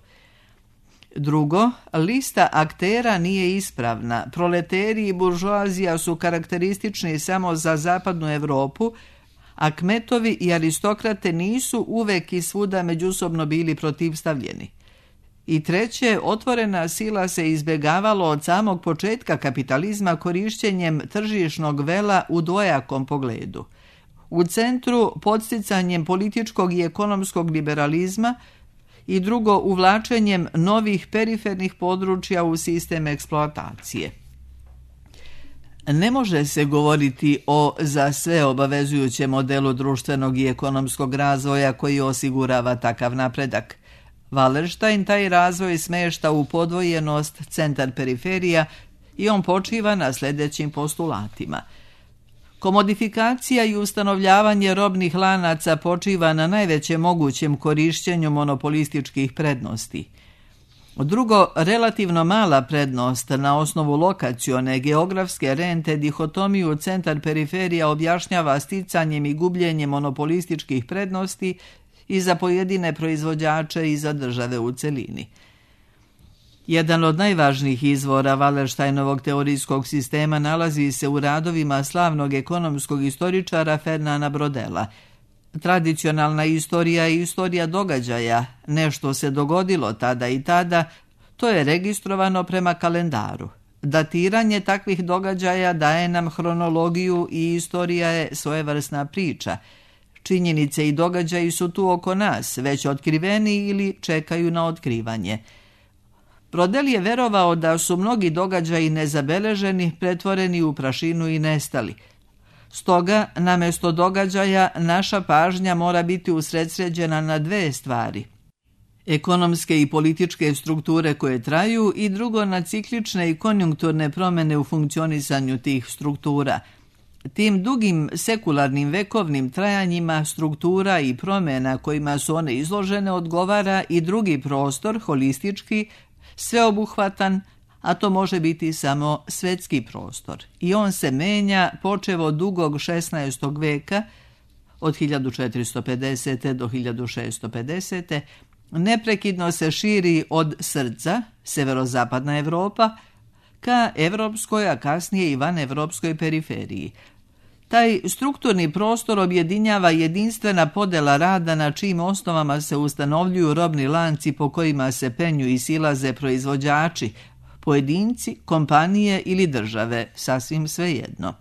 Drugo, lista aktera nije ispravna. Proleteri i buržoazija su karakteristični samo za zapadnu Europu, a kmetovi i aristokrate nisu uvek i svuda međusobno bili protivstavljeni. I treće, otvorena sila se izbjegavalo od samog početka kapitalizma korišćenjem tržišnog vela u dvojakom pogledu. U centru podsticanjem političkog i ekonomskog liberalizma i drugo uvlačenjem novih perifernih područja u sistem eksploatacije. Ne može se govoriti o za sve obavezujućem modelu društvenog i ekonomskog razvoja koji osigurava takav napredak. Wallerstein taj razvoj smešta u podvojenost centar-periferija i on počiva na sljedećim postulatima. Komodifikacija i ustanovljavanje robnih lanaca počiva na najvećem mogućem korišćenju monopolističkih prednosti. Drugo, relativno mala prednost na osnovu lokacione geografske rente dihotomiju centar-periferija objašnjava sticanjem i gubljenjem monopolističkih prednosti i za pojedine proizvođače i za države u celini. Jedan od najvažnijih izvora Wallersteinovog teorijskog sistema nalazi se u radovima slavnog ekonomskog istoričara Fernanda Brodela. Tradicionalna istorija i istorija događaja, nešto se dogodilo tada i tada, to je registrovano prema kalendaru. Datiranje takvih događaja daje nam hronologiju i istorija je svojevrsna priča. Činjenice i događaji su tu oko nas, već otkriveni ili čekaju na otkrivanje. Brodel je verovao da su mnogi događaji nezabeleženi, pretvoreni u prašinu i nestali. Stoga, namjesto događaja, naša pažnja mora biti usredsređena na 2 stvari. Ekonomske i političke strukture koje traju i drugo na ciklične i konjunkturne promjene u funkcionisanju tih struktura. Tim dugim sekularnim vekovnim trajanjima struktura i promjena kojima su one izložene odgovara i drugi prostor, holistički, sveobuhvatan, a to može biti samo svetski prostor. I on se menja počev od dugog 16. veka, od 1450. do 1650. Neprekidno se širi od srca, severozapadna Europa, ka evropskoj, a kasnije i vanevropskoj periferiji. Taj strukturni prostor objedinjava jedinstvena podela rada na čijim osnovama se ustanovljuju robni lanci po kojima se penju i silaze proizvođači, pojedinci, kompanije ili države, sasvim svejedno.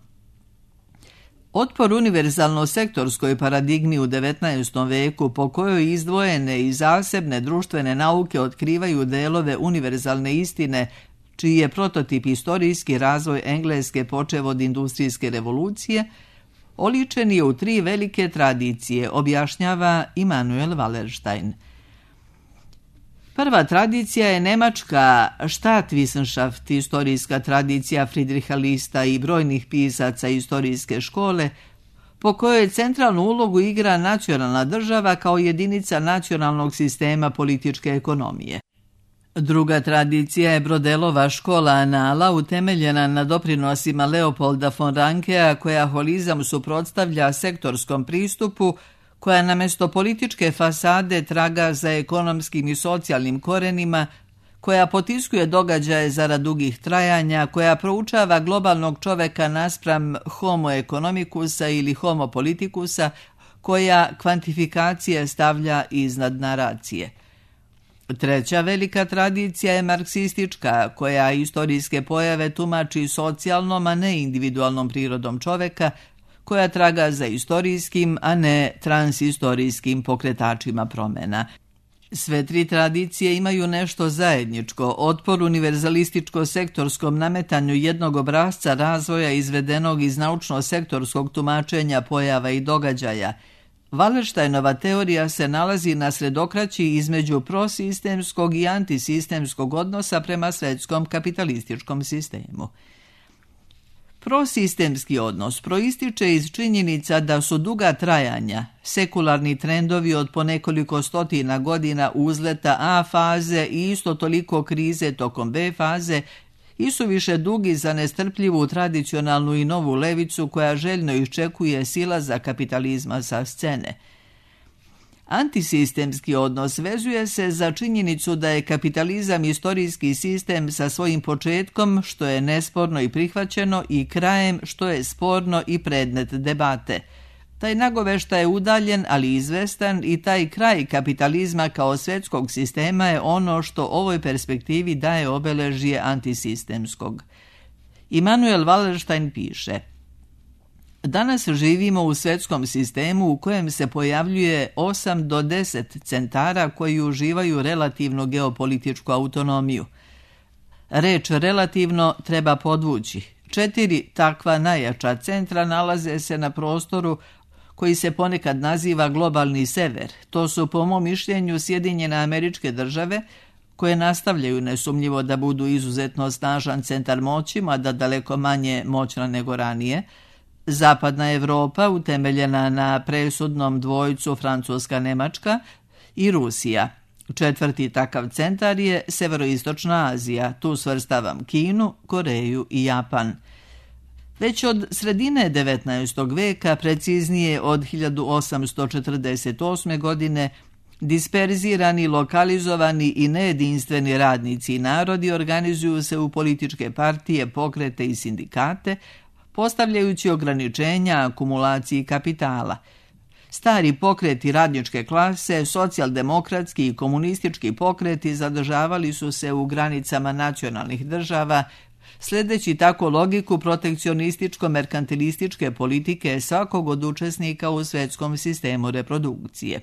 Otpor univerzalno-sektorskoj paradigmi u 19. veku po kojoj izdvojene i zasebne društvene nauke otkrivaju delove univerzalne istine, čiji je prototip istorijski razvoj Engleske počev od industrijske revolucije, oličen je u 3 velike tradicije, objašnjava Immanuel Wallerstein. Prva tradicija je nemačka Staatswissenschaft, istorijska tradicija Friedricha Lista i brojnih pisaca istorijske škole, po kojoj centralnu ulogu igra nacionalna država kao jedinica nacionalnog sistema političke ekonomije. Druga tradicija je Brodelova škola anala, utemeljena na doprinosima Leopolda von Rankea, koja holizam suprotstavlja sektorskom pristupu, koja namjesto političke fasade traga za ekonomskim i socijalnim korenima, koja potiskuje događaje zarad dugih trajanja, koja proučava globalnog čoveka naspram homo economicusa ili homo politicusa, koja kvantifikacije stavlja iznad naracije. Treća velika tradicija je marksistička, koja istorijske pojave tumači socijalnom, a ne individualnom prirodom čoveka, koja traga za istorijskim, a ne transistorijskim pokretačima promjena. Sve tri tradicije imaju nešto zajedničko, otpor univerzalističko-sektorskom nametanju jednog obrasca razvoja izvedenog iz naučno-sektorskog tumačenja pojava i događaja. Wallersteinova teorija se nalazi na sredokraći između prosistemskog i antisistemskog odnosa prema svjetskom kapitalističkom sistemu. Prosistemski odnos proističe iz činjenica da su duga trajanja, sekularni trendovi od po nekoliko stotina godina uzleta A faze i isto toliko krize tokom B faze i su više dugi za nestrpljivu tradicionalnu i novu levicu koja željno iščekuje silaza kapitalizma sa scene. Antisistemski odnos vezuje se za činjenicu da je kapitalizam istorijski sistem sa svojim početkom, što je nesporno i prihvaćeno, i krajem, što je sporno i predmet debate. Taj nagoveštaj je udaljen, ali izvestan, i taj kraj kapitalizma kao svjetskog sistema je ono što ovoj perspektivi daje obeležje antisistemskog. Immanuel Wallerstein piše: danas živimo u svjetskom sistemu u kojem se pojavljuje 8 do 10 centara koji uživaju relativnu geopolitičku autonomiju. Reč relativno treba podvući. 4 takva najjača centra nalaze se na prostoru koji se ponekad naziva globalni sever. To su po mom mišljenju Sjedinjene Američke Države, koje nastavljaju nesumnjivo da budu izuzetno snažan centar moći, mada daleko manje moćna nego ranije, Zapadna Evropa, utemeljena na presudnom dvojcu Francuska-Nemačka, i Rusija. 4. takav centar je Severoistočna Azija, tu svrstavam Kinu, Koreju i Japan. Već od sredine 19. veka, preciznije od 1848. godine, disperzirani, lokalizovani i nejedinstveni radnici i narodi organizuju se u političke partije, pokrete i sindikate, postavljajući ograničenja akumulaciji kapitala. Stari pokreti radničke klase, socijaldemokratski i komunistički pokreti zadržavali su se u granicama nacionalnih država, sledeći tako logiku protekcionističko-merkantilističke politike svakog od učesnika u svjetskom sistemu reprodukcije.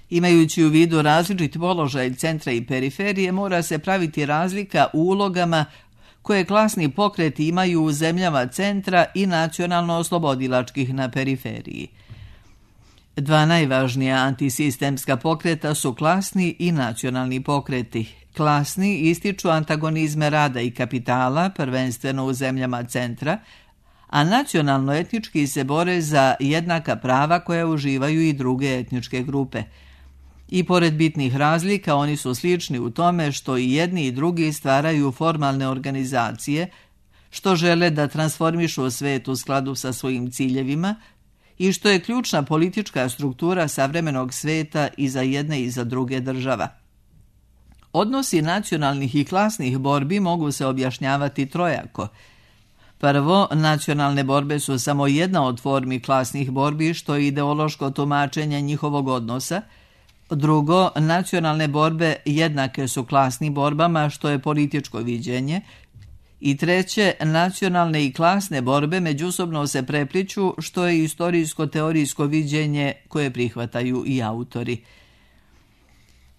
Imajući u vidu različit položaj centra i periferije, mora se praviti razlika u ulogama koje klasni pokreti imaju u zemljama centra i nacionalno-oslobodilačkih na periferiji. Dva najvažnija antisistemska pokreta su klasni i nacionalni pokreti. Klasni ističu antagonizme rada i kapitala, prvenstveno u zemljama centra, a nacionalno-etnički se bore za jednaka prava koja uživaju i druge etničke grupe. I pored bitnih razlika, oni su slični u tome što i jedni i drugi stvaraju formalne organizacije, što žele da transformišu svet u skladu sa svojim ciljevima i što je ključna politička struktura savremenog sveta i za jedne i za druge država. Odnosi nacionalnih i klasnih borbi mogu se objašnjavati trojako. Prvo, nacionalne borbe su samo jedna od formi klasnih borbi, što je ideološko tumačenje njihovog odnosa. Drugo, nacionalne borbe jednake su klasnim borbama, što je političko viđenje. I treće, nacionalne i klasne borbe međusobno se prepliću, što je istorijsko-teorijsko viđenje koje prihvataju i autori.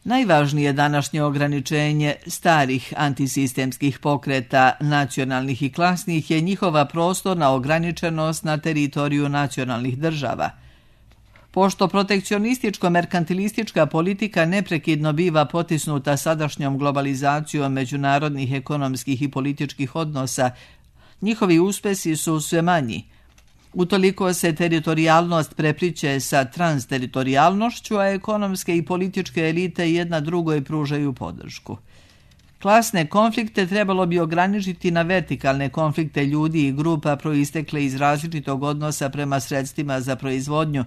Najvažnije današnje ograničenje starih antisistemskih pokreta, nacionalnih i klasnih, je njihova prostorna ograničenost na teritoriju nacionalnih država. Pošto protekcionističko-merkantilistička politika neprekidno biva potisnuta sadašnjom globalizacijom međunarodnih ekonomskih i političkih odnosa, njihovi uspesi su sve manji. Utoliko se teritorijalnost prepliće sa transteritorijalnošću, a ekonomske i političke elite jedna drugoj pružaju podršku. Klasne konflikte trebalo bi ograničiti na vertikalne konflikte ljudi i grupa proistekle iz različitog odnosa prema sredstvima za proizvodnju,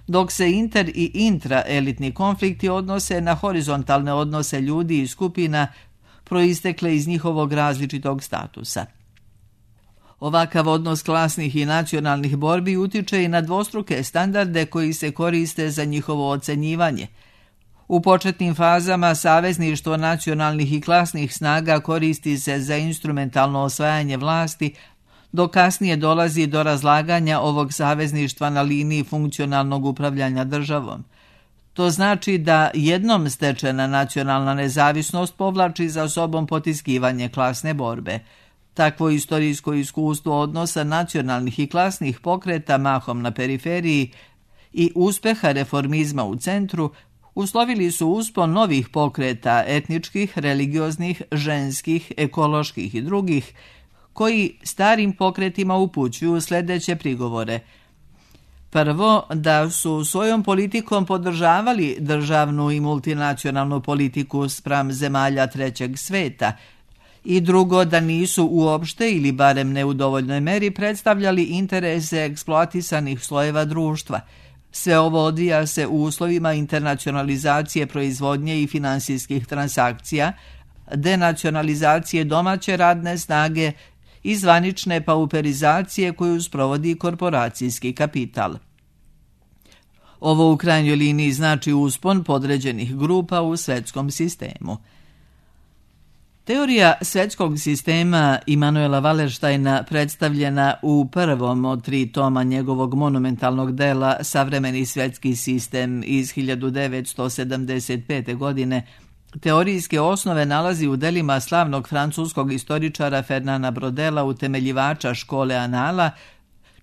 dok se inter- i intraelitni konflikti odnose na horizontalne odnose ljudi i skupina proistekle iz njihovog različitog statusa. Ovakav odnos klasnih i nacionalnih borbi utiče i na dvostruke standarde koji se koriste za njihovo ocenjivanje. U početnim fazama savezništvo nacionalnih i klasnih snaga koristi se za instrumentalno osvajanje vlasti, dok kasnije dolazi do razlaganja ovog savezništva na liniji funkcionalnog upravljanja državom. To znači da jednom stečena nacionalna nezavisnost povlači za sobom potiskivanje klasne borbe. Takvo istorijsko iskustvo odnosa nacionalnih i klasnih pokreta mahom na periferiji i uspeha reformizma u centru uslovili su uspon novih pokreta etničkih, religioznih, ženskih, ekoloških i drugih, koji starim pokretima upućuju sljedeće prigovore. Prvo, da su svojom politikom podržavali državnu i multinacionalnu politiku spram zemalja trećeg sveta, i drugo, da nisu uopšte ili barem ne u dovoljnoj meri predstavljali interese eksploatisanih slojeva društva. Sve ovo odvija se u uslovima internacionalizacije proizvodnje i finansijskih transakcija, denacionalizacije domaće radne snage i zvanične pauperizacije koju sprovodi korporacijski kapital. Ovo u krajnjoj liniji znači uspon podređenih grupa u svetskom sistemu. Teorija svjetskog sistema Immanuela Wallersteina, predstavljena u prvom od 3 toma njegovog monumentalnog dela Savremeni svjetski sistem iz 1975. godine, teorijske osnove nalazi u delima slavnog francuskog istoričara Fernanda Brodela, utemeljivača škole Anala,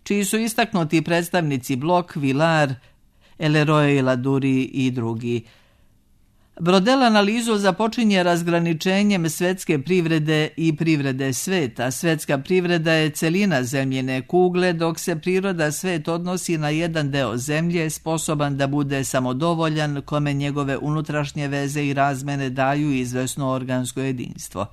čiji su istaknuti predstavnici Bloch, Villard, Eleroy, Ladurie i drugi. Brodel analizu započinje razgraničenjem svetske privrede i privrede sveta. Svetska privreda je celina zemljine kugle, dok se priroda svet odnosi na jedan deo zemlje, sposoban da bude samodovoljan, kome njegove unutrašnje veze i razmene daju izvesno organsko jedinstvo.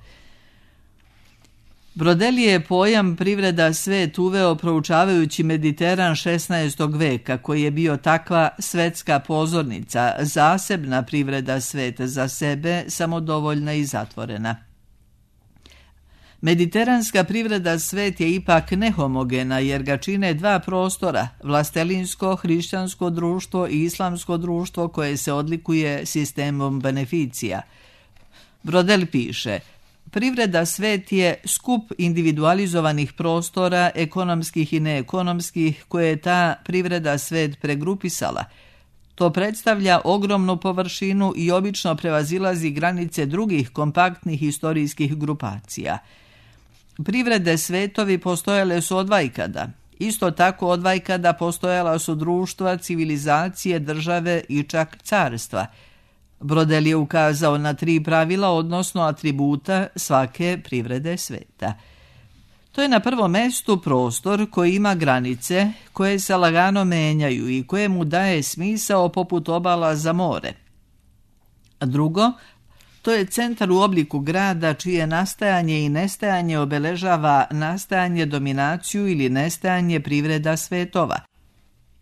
Brodel je pojam privreda svet uveo proučavajući Mediteran 16. veka, koji je bio takva svetska pozornica, zasebna privreda sveta za sebe, samodovoljna i zatvorena. Mediteranska privreda svet je ipak nehomogena, jer ga čine 2 prostora, vlastelinsko, hrišćansko društvo i islamsko društvo, koje se odlikuje sistemom beneficija. Brodel piše: privreda svet je skup individualizovanih prostora, ekonomskih i neekonomskih, koje je ta privreda svet pregrupisala. To predstavlja ogromnu površinu i obično prevazilazi granice drugih kompaktnih historijskih grupacija. Privrede svetovi postojale su odvajkada. Isto tako odvajkada postojala su društva, civilizacije, države i čak carstva. Brodel je ukazao na 3 pravila, odnosno atributa svake privrede sveta. To je na prvom mestu prostor koji ima granice, koje se lagano menjaju i koje mu daje smisao poput obala za more. Drugo, to je centar u obliku grada čije nastajanje i nestajanje obeležava nastajanje, dominaciju ili nestajanje privreda svetova.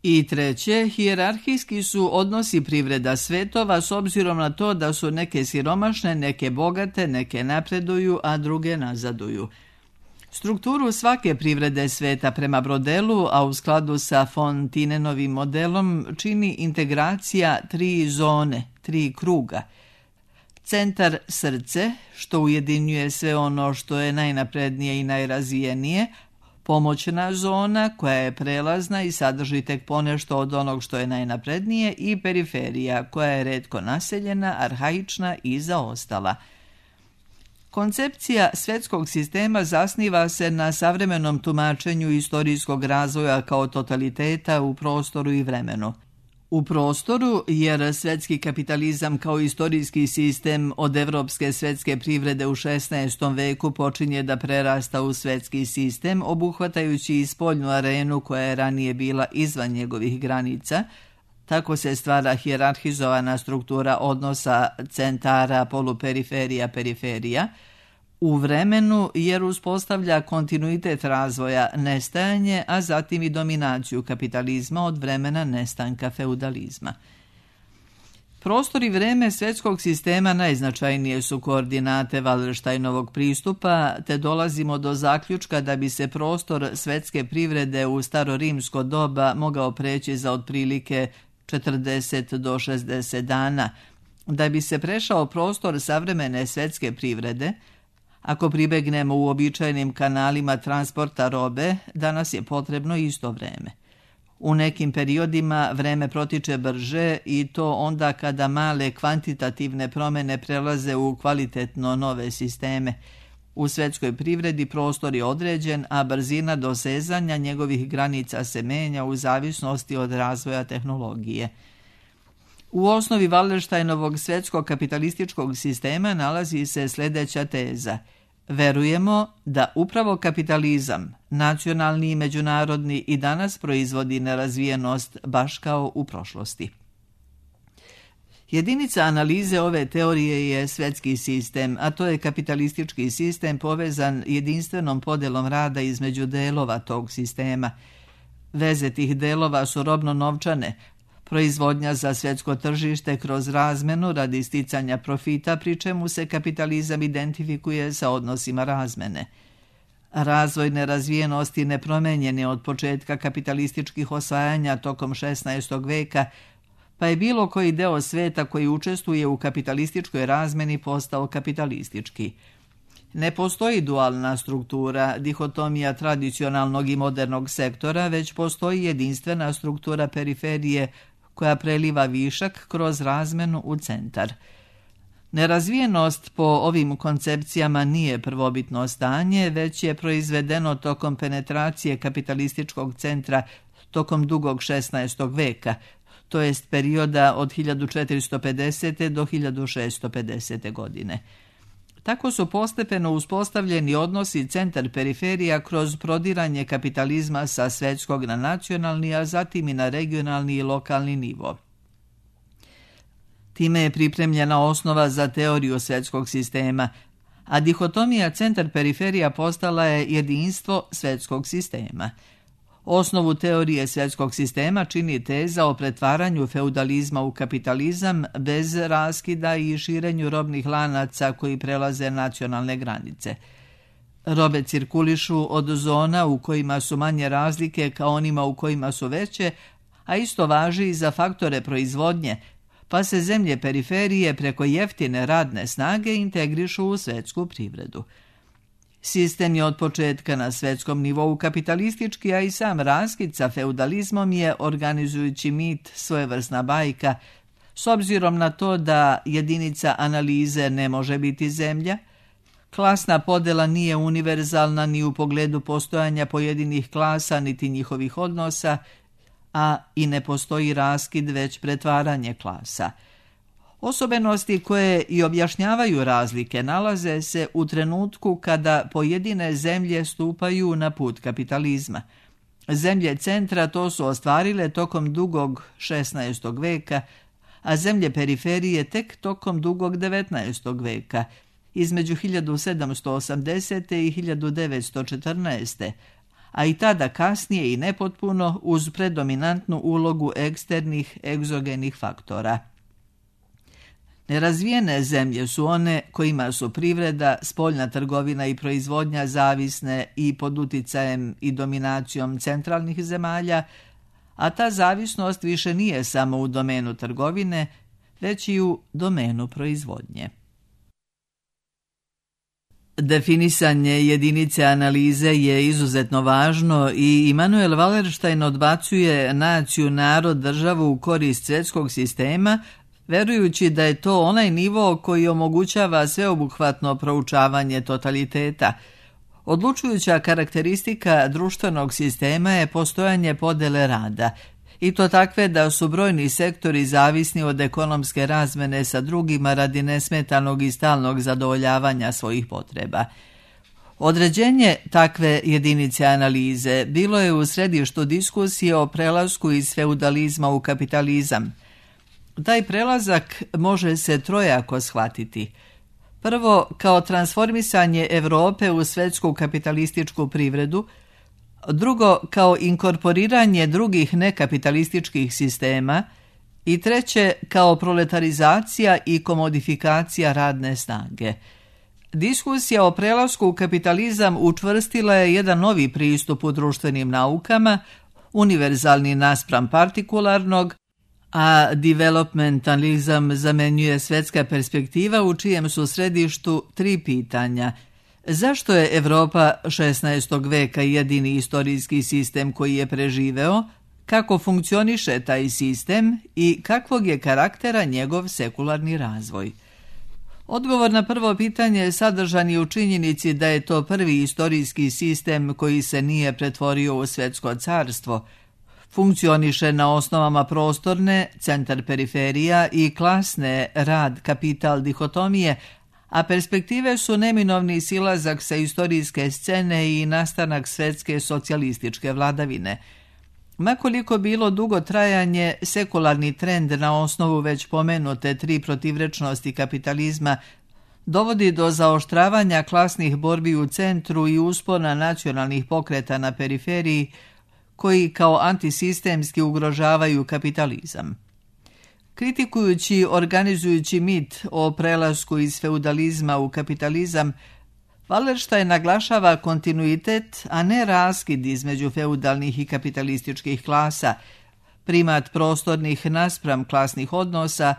I treće, hijerarhijski su odnosi privreda svetova s obzirom na to da su neke siromašne, neke bogate, neke napreduju, a druge nazaduju. Strukturu svake privrede sveta prema Brodelu, a u skladu sa von Thinenovim modelom, čini integracija 3 zone, 3 kruga. Centar srce, što ujedinjuje sve ono što je najnaprednije i najrazvijenije, pomoćna zona koja je prelazna i sadrži tek ponešto od onog što je najnaprednije, i periferija koja je retko naseljena, arhaična i zaostala. Koncepcija svjetskog sistema zasniva se na savremenom tumačenju istorijskog razvoja kao totaliteta u prostoru i vremenu. U prostoru, jer svetski kapitalizam kao istorijski sistem od evropske svetske privrede u 16. veku počinje da prerasta u svetski sistem, obuhvatajući i spoljnu arenu koja je ranije bila izvan njegovih granica. Tako se stvara hijerarhizovana struktura odnosa centara, poluperiferija, periferija, u vremenu jer uspostavlja kontinuitet razvoja, nestajanje, a zatim i dominaciju kapitalizma od vremena nestanka feudalizma. Prostor i vreme svetskog sistema najznačajnije su koordinate Wallersteinovog pristupa, te dolazimo do zaključka da bi se prostor svetske privrede u starorimsko doba mogao preći za otprilike 40 do 60 dana. Da bi se prešao prostor savremene svetske privrede, ako pribegnemo uobičajenim kanalima transporta robe, danas je potrebno isto vreme. U nekim periodima vreme protiče brže i to onda kada male kvantitativne promjene prelaze u kvalitetno nove sisteme. U svetskoj privredi prostor je određen, a brzina dosezanja njegovih granica se menja u zavisnosti od razvoja tehnologije. U osnovi Wallersteinovog svetskog kapitalističkog sistema nalazi se sljedeća teza. Verujemo da upravo kapitalizam, nacionalni i međunarodni, i danas proizvodi nerazvijenost baš kao u prošlosti. Jedinica analize ove teorije je svetski sistem, a to je kapitalistički sistem povezan jedinstvenom podelom rada između delova tog sistema. Veze tih delova su robno-novčane, proizvodnja za svjetsko tržište kroz razmenu radi sticanja profita, pri čemu se kapitalizam identifikuje sa odnosima razmene. Razvoj nerazvijenosti nepromenjen je od početka kapitalističkih osvajanja tokom 16. veka, pa je bilo koji deo sveta koji učestvuje u kapitalističkoj razmeni postao kapitalistički. Ne postoji dualna struktura, dihotomija tradicionalnog i modernog sektora, već postoji jedinstvena struktura periferije koja preliva višak kroz razmenu u centar. Nerazvijenost po ovim koncepcijama nije prvobitno stanje, već je proizvedeno tokom penetracije kapitalističkog centra tokom dugog 16. veka, to jest perioda od 1450. do 1650. godine. Tako su postepeno uspostavljeni odnosi centar-periferija kroz prodiranje kapitalizma sa svetskog na nacionalni, a zatim i na regionalni i lokalni nivo. Time je pripremljena osnova za teoriju svetskog sistema, a dihotomija centar-periferija postala je jedinstvo svetskog sistema. Osnovu teorije svjetskog sistema čini teza o pretvaranju feudalizma u kapitalizam bez raskida i širenju robnih lanaca koji prelaze nacionalne granice. Robe cirkulišu od zona u kojima su manje razlike ka onima u kojima su veće, a isto važi i za faktore proizvodnje, pa se zemlje periferije preko jeftine radne snage integrišu u svetsku privredu. Sistem je od početka na svetskom nivou kapitalistički, a i sam raskid sa feudalizmom je organizujući mit, svojevrsna bajka, s obzirom na to da jedinica analize ne može biti zemlja, klasna podela nije univerzalna ni u pogledu postojanja pojedinih klasa niti njihovih odnosa, a i ne postoji raskid već pretvaranje klasa. Osobenosti koje i objašnjavaju razlike nalaze se u trenutku kada pojedine zemlje stupaju na put kapitalizma. Zemlje centra to su ostvarile tokom dugog 16. veka, a zemlje periferije tek tokom dugog 19. veka, između 1780. i 1914. a i tada kasnije i nepotpuno uz predominantnu ulogu eksternih egzogenih faktora. Nerazvijene zemlje su one kojima su privreda, spoljna trgovina i proizvodnja zavisne i pod uticajem i dominacijom centralnih zemalja, a ta zavisnost više nije samo u domenu trgovine, već i u domenu proizvodnje. Definisanje jedinice analize je izuzetno važno i Immanuel Wallerstein odbacuje naciju, narod, državu u korist svjetskog sistema, verujući da je to onaj nivo koji omogućava sveobuhvatno proučavanje totaliteta. Odlučujuća karakteristika društvenog sistema je postojanje podele rada. i to takve da su brojni sektori zavisni od ekonomske razmene sa drugima radi nesmetanog i stalnog zadovoljavanja svojih potreba. Određenje takve jedinice analize bilo je u središtu diskusije o prelasku iz feudalizma u kapitalizam. Taj prelazak može se trojako shvatiti. Prvo, kao transformisanje Europe u svetsku kapitalističku privredu, drugo, kao inkorporiranje drugih nekapitalističkih sistema i treće, kao proletarizacija i komodifikacija radne snage. Diskusija o prelasku u kapitalizam učvrstila je jedan novi pristup u društvenim naukama, univerzalni naspram partikularnog, a developmentalizam zamenjuje svetska perspektiva u čijem su središtu tri pitanja. Zašto je Evropa 16. veka jedini istorijski sistem koji je preživeo, kako funkcioniše taj sistem i kakvog je karaktera njegov sekularni razvoj? Odgovor na prvo pitanje sadržan je u činjenici da je to prvi istorijski sistem koji se nije pretvorio u svetsko carstvo. Funkcioniše na osnovama prostorne, centar-periferija i klasne rad-kapital dihotomije, a perspektive su neminovni silazak sa istorijske scene i nastanak svetske socijalističke vladavine. Makoliko bilo dugo trajanje, sekularni trend na osnovu već pomenute tri protivrečnosti kapitalizma dovodi do zaoštravanja klasnih borbi u centru i uspona nacionalnih pokreta na periferiji, koji kao antisistemski ugrožavaju kapitalizam. Kritikujući organizujući mit o prelasku iz feudalizma u kapitalizam, Wallerstein naglašava kontinuitet, a ne raskid između feudalnih i kapitalističkih klasa, primat prostornih naspram klasnih odnosa,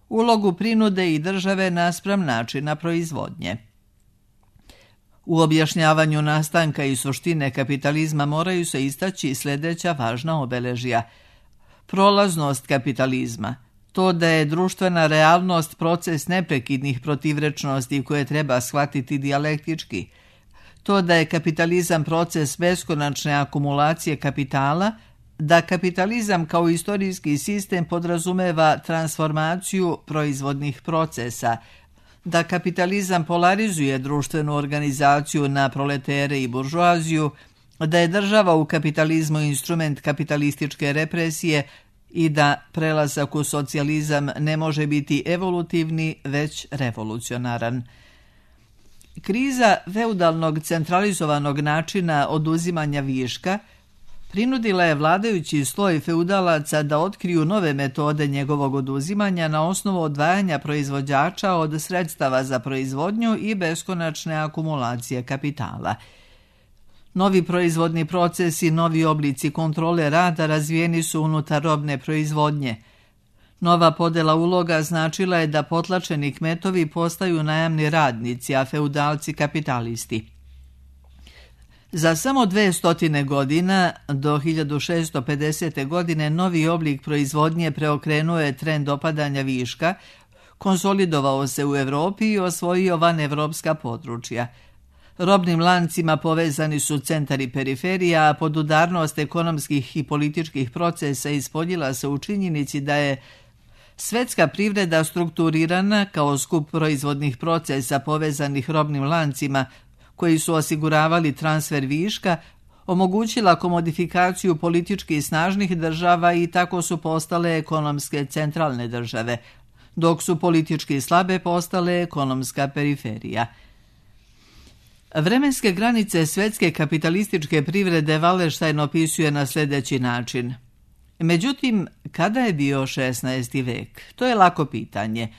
ulogu prinude i države naspram načina proizvodnje. U objašnjavanju nastanka i suštine kapitalizma moraju se istaći sljedeća važna obeležja. Prolaznost kapitalizma, to da je društvena realnost proces neprekidnih protivrečnosti koje treba shvatiti dijalektički, to da je kapitalizam proces beskonačne akumulacije kapitala, da kapitalizam kao istorijski sistem podrazumeva transformaciju proizvodnih procesa, da kapitalizam polarizuje društvenu organizaciju na proletere i buržoaziju, da je država u kapitalizmu instrument kapitalističke represije i da prelazak u socijalizam ne može biti evolutivni, već revolucionaran. Kriza feudalnog centralizovanog načina oduzimanja viška prinudila je vladajući sloj feudalaca da otkriju nove metode njegovog oduzimanja na osnovu odvajanja proizvođača od sredstava za proizvodnju i beskonačne akumulacije kapitala. Novi proizvodni procesi, novi oblici kontrole rada razvijeni su unutar robne proizvodnje. Nova podela uloga značila je da potlačeni kmetovi postaju najamni radnici, a feudalci kapitalisti. Za samo 200 godina, do 1650. godine, novi oblik proizvodnje preokrenuo je trend opadanja viška, konsolidovao se u Evropi i osvojio vanevropska područja. Robnim lancima povezani su centar i periferija, a podudarnost ekonomskih i političkih procesa ispoljila se u činjenici da je svetska privreda strukturirana kao skup proizvodnih procesa povezanih robnim lancima, koji su osiguravali transfer viška, omogućila komodifikaciju politički snažnih država i tako su postale ekonomske centralne države, dok su politički slabe postale ekonomska periferija. Vremenske granice svetske kapitalističke privrede Wallerstein opisuje na sljedeći način. Međutim, kada je bio 16. vek? To je lako pitanje.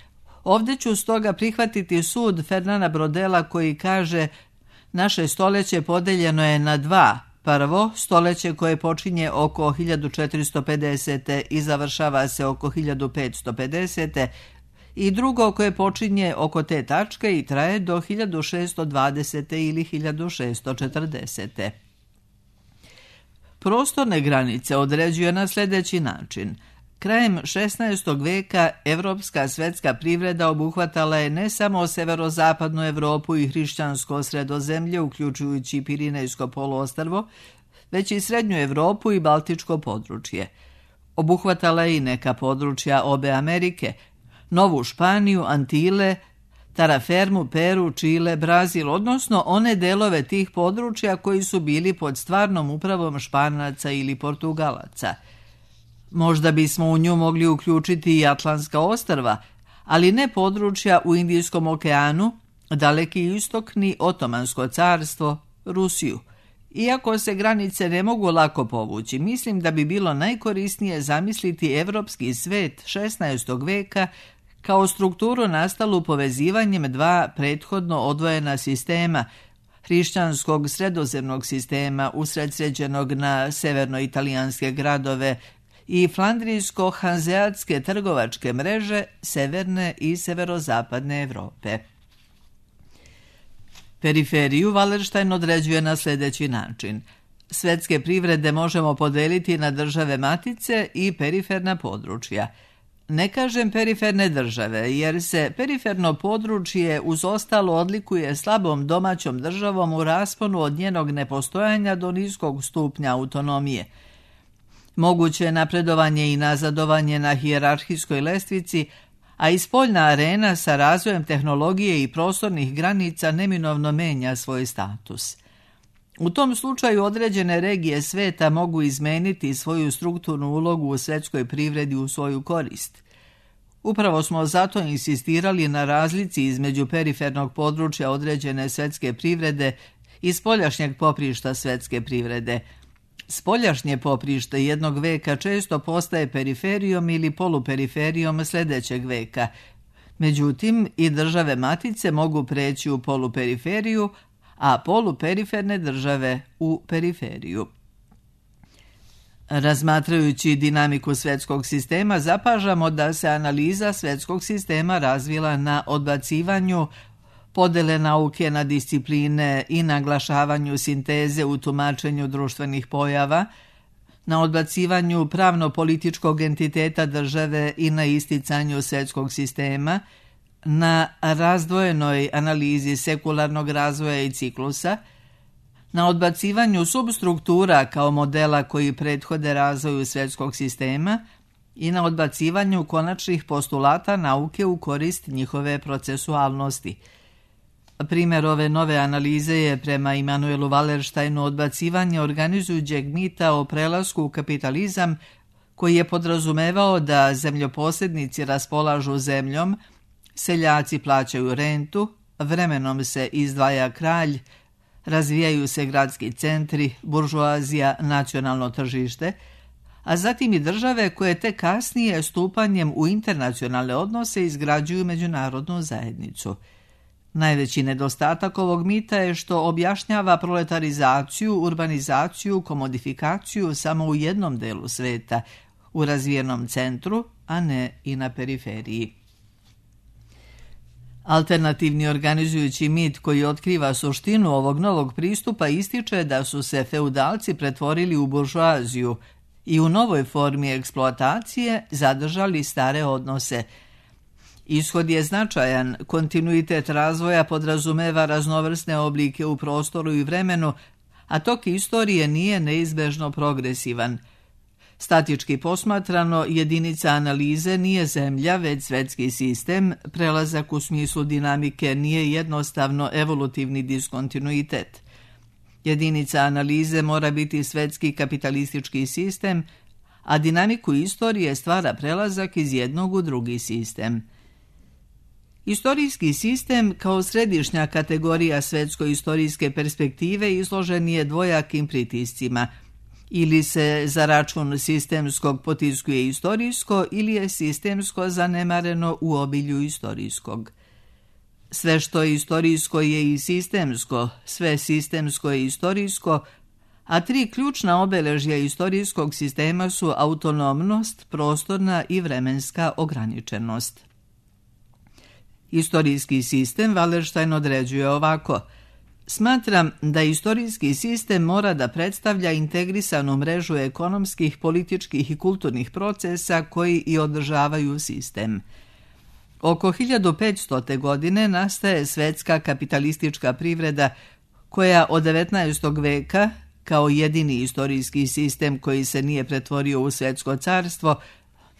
Ovdje ću stoga prihvatiti sud Fernanda Brodela koji kaže: naše stoljeće podeljeno je na dva. Prvo, stoljeće koje počinje oko 1450. i završava se oko 1550. i drugo koje počinje oko te tačke i traje do 1620. ili 1640. Prostorne granice određuje na sljedeći način. Krajem 16. veka evropska svetska privreda obuhvatala je ne samo severozapadnu Evropu i hrišćansko sredozemlje, uključujući Pirinejsko poluostrvo, već i srednju Evropu i Baltičko područje. Obuhvatala je i neka područja obe Amerike, Novu Španiju, Antile, Tarafermu, Peru, Čile, Brazil, odnosno one delove tih područja koji su bili pod stvarnom upravom Španaca ili Portugalaca. Možda bismo u nju mogli uključiti i Atlantska ostrva, ali ne područja u Indijskom okeanu, Daleki istok ni Otomansko carstvo, Rusiju. Iako se granice ne mogu lako povući, mislim da bi bilo najkorisnije zamisliti evropski svet 16. veka kao strukturu nastalu povezivanjem dva prethodno odvojena sistema, hrišćanskog sredozemnog sistema usredsređenog na severno-italijanske gradove i flandrijsko-hanzeatske trgovačke mreže severne i severozapadne Evrope. Periferiju Wallerstein određuje na sljedeći način. Svetske privrede možemo podeliti na države matice i periferna područja. Ne kažem periferne države, jer se periferno područje uz ostalo odlikuje slabom domaćom državom u rasponu od njenog nepostojanja do niskog stupnja autonomije. Moguće je napredovanje i nazadovanje na hijerarhijskoj lestvici, a i spoljna arena sa razvojem tehnologije i prostornih granica neminovno menja svoj status. U tom slučaju određene regije sveta mogu izmeniti svoju strukturnu ulogu u svetskoj privredi u svoju korist. Upravo smo zato insistirali na razlici između perifernog područja određene svetske privrede i spoljašnjeg poprišta svetske privrede. Spoljašnje poprište jednog veka često postaje periferijom ili poluperiferijom sljedećeg veka. Međutim, i države matice mogu preći u poluperiferiju, a poluperiferne države u periferiju. Razmatrajući dinamiku svetskog sistema, zapažamo da se analiza svetskog sistema razvila na odbacivanju podele nauke na discipline i naglašavanju sinteze u tumačenju društvenih pojava, na odbacivanju pravno-političkog entiteta države i na isticanju svetskog sistema, na razdvojenoj analizi sekularnog razvoja i ciklusa, na odbacivanju substruktura kao modela koji prethode razvoju svetskog sistema i na odbacivanju konačnih postulata nauke u korist njihove procesualnosti. Primjer ove nove analize je prema Immanuelu Wallersteinu odbacivanje organizujućeg mita o prelasku u kapitalizam koji je podrazumevao da zemljoposjednici raspolažu zemljom, seljaci plaćaju rentu, vremenom se izdvaja kralj, razvijaju se gradski centri, buržoazija, nacionalno tržište, a zatim i države koje te kasnije stupanjem u internacionalne odnose izgrađuju međunarodnu zajednicu. Najveći nedostatak ovog mita je što objašnjava proletarizaciju, urbanizaciju, komodifikaciju samo u jednom delu sveta, u razvijenom centru, a ne i na periferiji. Alternativni organizujući mit koji otkriva suštinu ovog novog pristupa ističe da su se feudalci pretvorili u buržoaziju i u novoj formi eksploatacije zadržali stare odnose. Ishod je značajan, kontinuitet razvoja podrazumeva raznovrsne oblike u prostoru i vremenu, a tok istorije nije neizbežno progresivan. Statički posmatrano, jedinica analize nije zemlja, već svetski sistem, prelazak u smislu dinamike nije jednostavno evolutivni diskontinuitet. Jedinica analize mora biti svetski kapitalistički sistem, a dinamiku istorije stvara prelazak iz jednog u drugi sistem. Istorijski sistem kao središnja kategorija svetsko-istorijske perspektive izložen je dvojakim pritiscima. Ili se za račun sistemskog potiskuje istorijsko ili je sistemsko zanemareno u obilju istorijskog. Sve što je istorijsko je i sistemsko, sve sistemsko je istorijsko, a tri ključna obeležja istorijskog sistema su autonomnost, prostorna i vremenska ograničenost. Istorijski sistem Wallerstein određuje ovako: smatram da istorijski sistem mora da predstavlja integrisanu mrežu ekonomskih, političkih i kulturnih procesa koji i održavaju sistem. Oko 1500. godine nastaje svetska kapitalistička privreda koja od 19. veka kao jedini istorijski sistem koji se nije pretvorio u svetsko carstvo,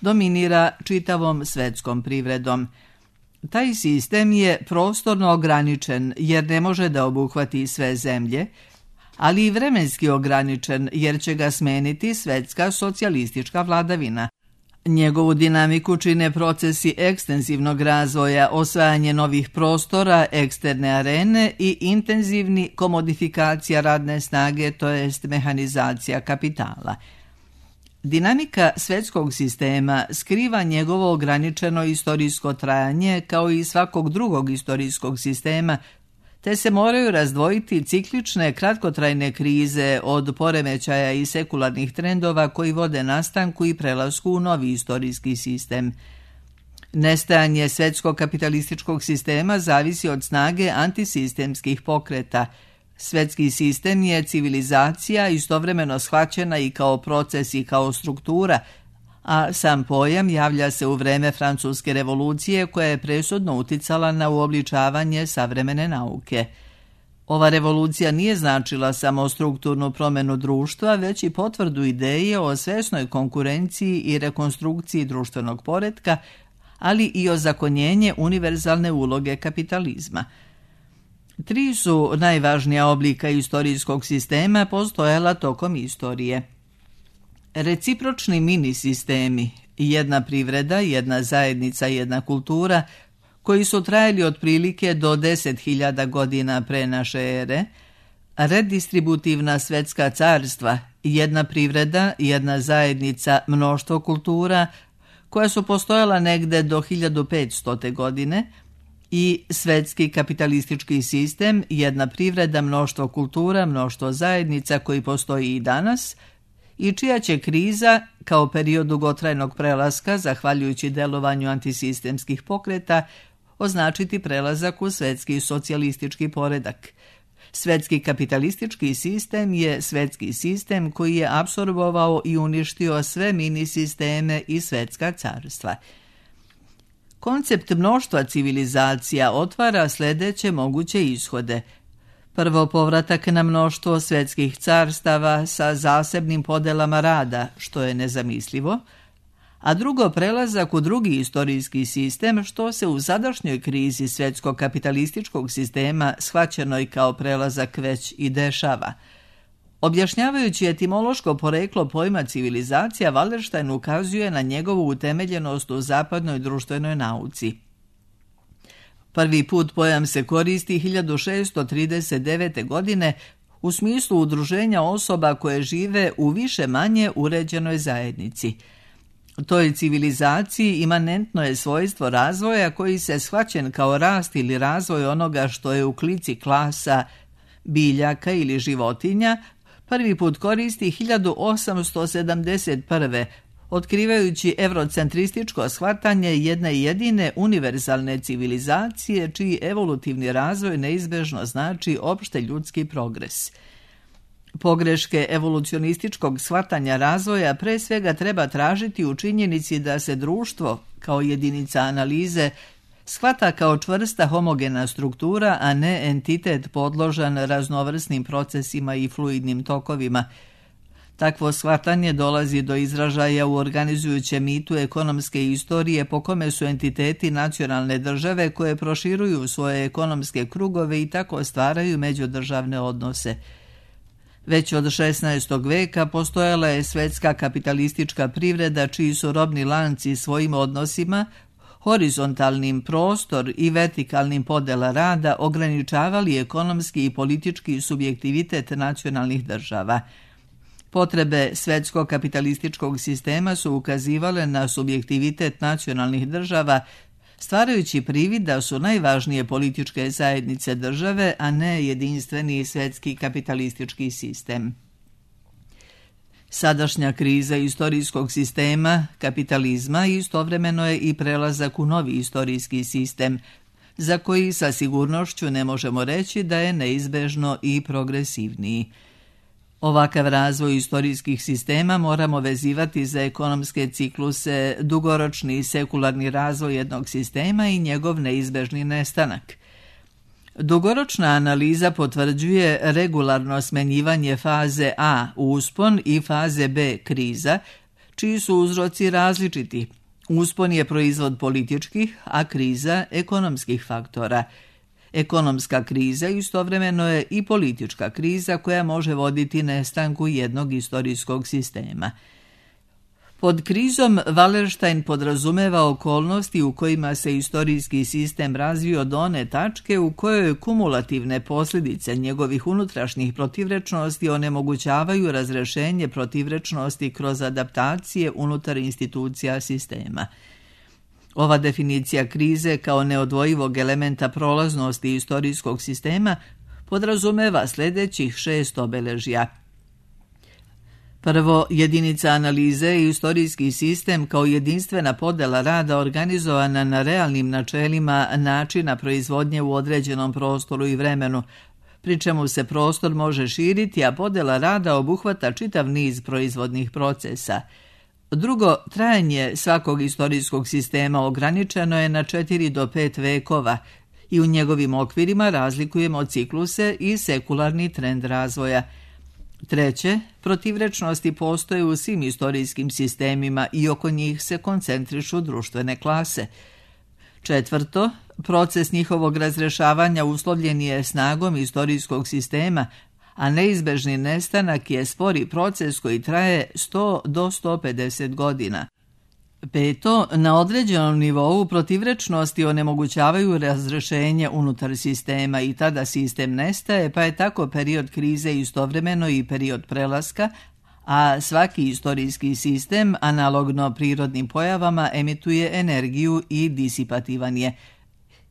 dominira čitavom svetskom privredom. Taj sistem je prostorno ograničen jer ne može da obuhvati sve zemlje, ali i vremenski ograničen jer će ga smeniti svetska socijalistička vladavina. Njegovu dinamiku čine procesi ekstenzivnog razvoja, osvajanje novih prostora, eksterne arene i intenzivni komodifikacija radne snage, to jest mehanizacija kapitala. Dinamika svetskog sistema skriva njegovo ograničeno istorijsko trajanje kao i svakog drugog istorijskog sistema, te se moraju razdvojiti ciklične kratkotrajne krize od poremećaja i sekularnih trendova koji vode nastanku i prelasku u novi istorijski sistem. Nestajanje svetskog kapitalističkog sistema zavisi od snage antisistemskih pokreta. Svetski sistem je civilizacija istovremeno shvaćena i kao proces i kao struktura, a sam pojam javlja se u vreme Francuske revolucije koja je presudno uticala na uobličavanje savremene nauke. Ova revolucija nije značila samo strukturnu promjenu društva, već i potvrdu ideje o svesnoj konkurenciji i rekonstrukciji društvenog poretka, ali i ozakonjenje univerzalne uloge kapitalizma. 3 su najvažnija oblika istorijskog sistema postojala tokom istorije. Recipročni mini sistemi, jedna privreda, jedna zajednica, jedna kultura, koji su trajali otprilike do 10.000 godina pre naše ere, redistributivna svetska carstva, jedna privreda, jedna zajednica, mnoštvo kultura, koja su postojala negde do 1500. godine, i svetski kapitalistički sistem, jedna privreda, mnoštvo kultura, mnoštvo zajednica koji postoji i danas, i čija će kriza, kao period dugotrajnog prelaska, zahvaljujući delovanju antisistemskih pokreta, označiti prelazak u svetski socijalistički poredak. Svetski kapitalistički sistem je svetski sistem koji je apsorbovao i uništio sve mini sisteme i svetska carstva. Koncept mnoštva civilizacija otvara sljedeće moguće ishode. Prvo, povratak na mnoštvo svetskih carstava sa zasebnim podelama rada, što je nezamislivo, a drugo, prelazak u drugi istorijski sistem, što se u sadašnjoj krizi svetskog kapitalističkog sistema shvaćenoj kao prelazak već i dešava. Objašnjavajući etimološko poreklo pojma civilizacija, Wallerstein ukazuje na njegovu utemeljenost u zapadnoj društvenoj nauci. Prvi put pojam se koristi 1639. godine u smislu udruženja osoba koje žive u više manje uređenoj zajednici. Toj civilizaciji imanentno je svojstvo razvoja koji se shvaćen kao rast ili razvoj onoga što je u klici klasa, biljaka ili životinja, prvi put koristi 1871. otkrivajući eurocentrističko shvatanje jedne jedine univerzalne civilizacije čiji evolutivni razvoj neizbežno znači opšte ljudski progres. Pogreške evolucionističkog shvatanja razvoja pre svega treba tražiti u činjenici da se društvo, kao jedinica analize, shvata kao čvrsta homogena struktura, a ne entitet podložan raznovrsnim procesima i fluidnim tokovima. Takvo shvatanje dolazi do izražaja u organizujućem mitu ekonomske istorije po kome su entiteti nacionalne države koje proširuju svoje ekonomske krugove i tako stvaraju međudržavne odnose. Već od 16. veka postojala je svetska kapitalistička privreda čiji su robni lanci svojim odnosima, horizontalnim prostor i vertikalnim podela rada ograničavali ekonomski i politički subjektivitet nacionalnih država. Potrebe svetskog kapitalističkog sistema su ukazivale na subjektivitet nacionalnih država, stvarajući privid da su najvažnije političke zajednice države, a ne jedinstveni svetski kapitalistički sistem. Sadašnja kriza istorijskog sistema, kapitalizma, istovremeno je i prelazak u novi istorijski sistem, za koji sa sigurnošću ne možemo reći da je neizbežno i progresivniji. Ovakav razvoj istorijskih sistema moramo vezivati za ekonomske cikluse, dugoročni sekularni razvoj jednog sistema i njegov neizbežni nestanak. Dugoročna analiza potvrđuje regularno smenjivanje faze A uspon i faze B kriza, čiji su uzroci različiti. Uspon je proizvod političkih, a kriza ekonomskih faktora. Ekonomska kriza istovremeno je i politička kriza koja može voditi nestanku jednog istorijskog sistema. Pod krizom Wallerstein podrazumeva okolnosti u kojima se istorijski sistem razvio do one tačke u kojoj kumulativne posljedice njegovih unutrašnjih protivrečnosti onemogućavaju razrešenje protivrečnosti kroz adaptacije unutar institucija sistema. Ova definicija krize kao neodvojivog elementa prolaznosti istorijskog sistema podrazumeva sljedećih 6 obeležja. Prvo, jedinica analize je istorijski sistem kao jedinstvena podela rada organizovana na realnim načelima načina proizvodnje u određenom prostoru i vremenu, pri čemu se prostor može širiti, a podela rada obuhvata čitav niz proizvodnih procesa. Drugo, trajanje svakog istorijskog sistema ograničeno je na 4 do 5 vekova i u njegovim okvirima razlikujemo cikluse i sekularni trend razvoja. Treće, protivrečnosti postoje u svim istorijskim sistemima i oko njih se koncentrišu društvene klase. Četvrto, proces njihovog razrešavanja uslovljen je snagom istorijskog sistema, a neizbežni nestanak je spori proces koji traje 100 do 150 godina. Peto, na određenom nivou protivrečnosti onemogućavaju razrešenje unutar sistema i tada sistem nestaje, pa je tako period krize istovremeno i period prelaska, a svaki istorijski sistem, analogno prirodnim pojavama, emituje energiju i disipativan je.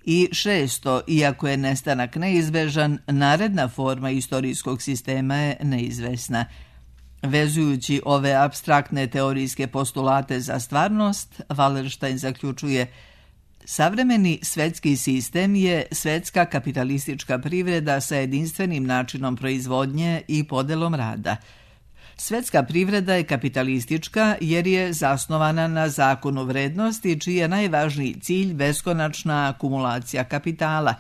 I šesto, iako je nestanak neizbežan, naredna forma istorijskog sistema je neizvesna. Vezujući ove apstraktne teorijske postulate za stvarnost, Wallerstein zaključuje: savremeni svetski sistem je svetska kapitalistička privreda sa jedinstvenim načinom proizvodnje i podelom rada. Svetska privreda je kapitalistička jer je zasnovana na zakonu vrednosti, čiji je najvažniji cilj beskonačna akumulacija kapitala.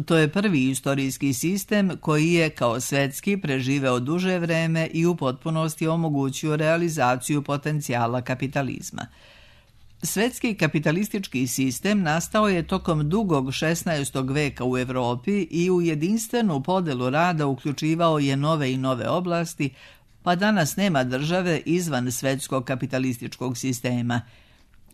To je prvi istorijski sistem koji je kao svetski preživeo duže vreme i u potpunosti omogućio realizaciju potencijala kapitalizma. Svetski kapitalistički sistem nastao je tokom dugog 16. veka u Europi i u jedinstvenu podelu rada uključivao je nove i nove oblasti, pa danas nema države izvan svetskog kapitalističkog sistema.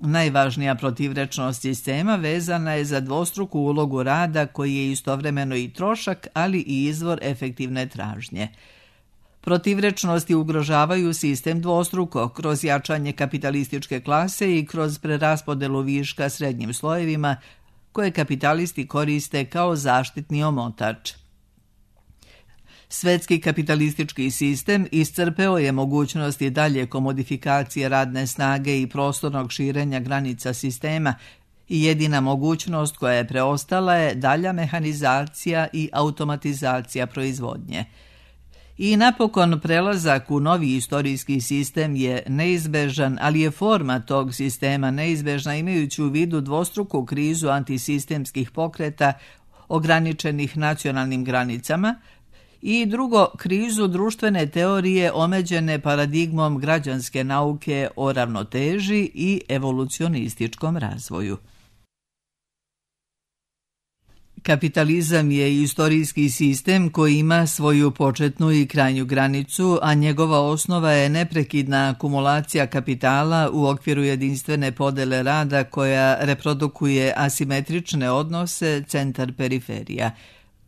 Najvažnija protivrečnost sistema vezana je za dvostruku ulogu rada koji je istovremeno i trošak, ali i izvor efektivne tražnje. Protivrečnosti ugrožavaju sistem dvostruko kroz jačanje kapitalističke klase i kroz preraspodelu viška srednjim slojevima koje kapitalisti koriste kao zaštitni omotač. Svetski kapitalistički sistem iscrpeo je mogućnosti dalje komodifikacije radne snage i prostornog širenja granica sistema i jedina mogućnost koja je preostala je dalja mehanizacija i automatizacija proizvodnje. I napokon prelazak u novi istorijski sistem je neizbežan, ali je forma tog sistema neizbežna imajući u vidu dvostruku krizu antisistemskih pokreta ograničenih nacionalnim granicama, i drugo, krizu društvene teorije omeđene paradigmom građanske nauke o ravnoteži i evolucionističkom razvoju. Kapitalizam je istorijski sistem koji ima svoju početnu i krajnju granicu, a njegova osnova je neprekidna akumulacija kapitala u okviru jedinstvene podele rada koja reprodukuje asimetrične odnose centar-periferija.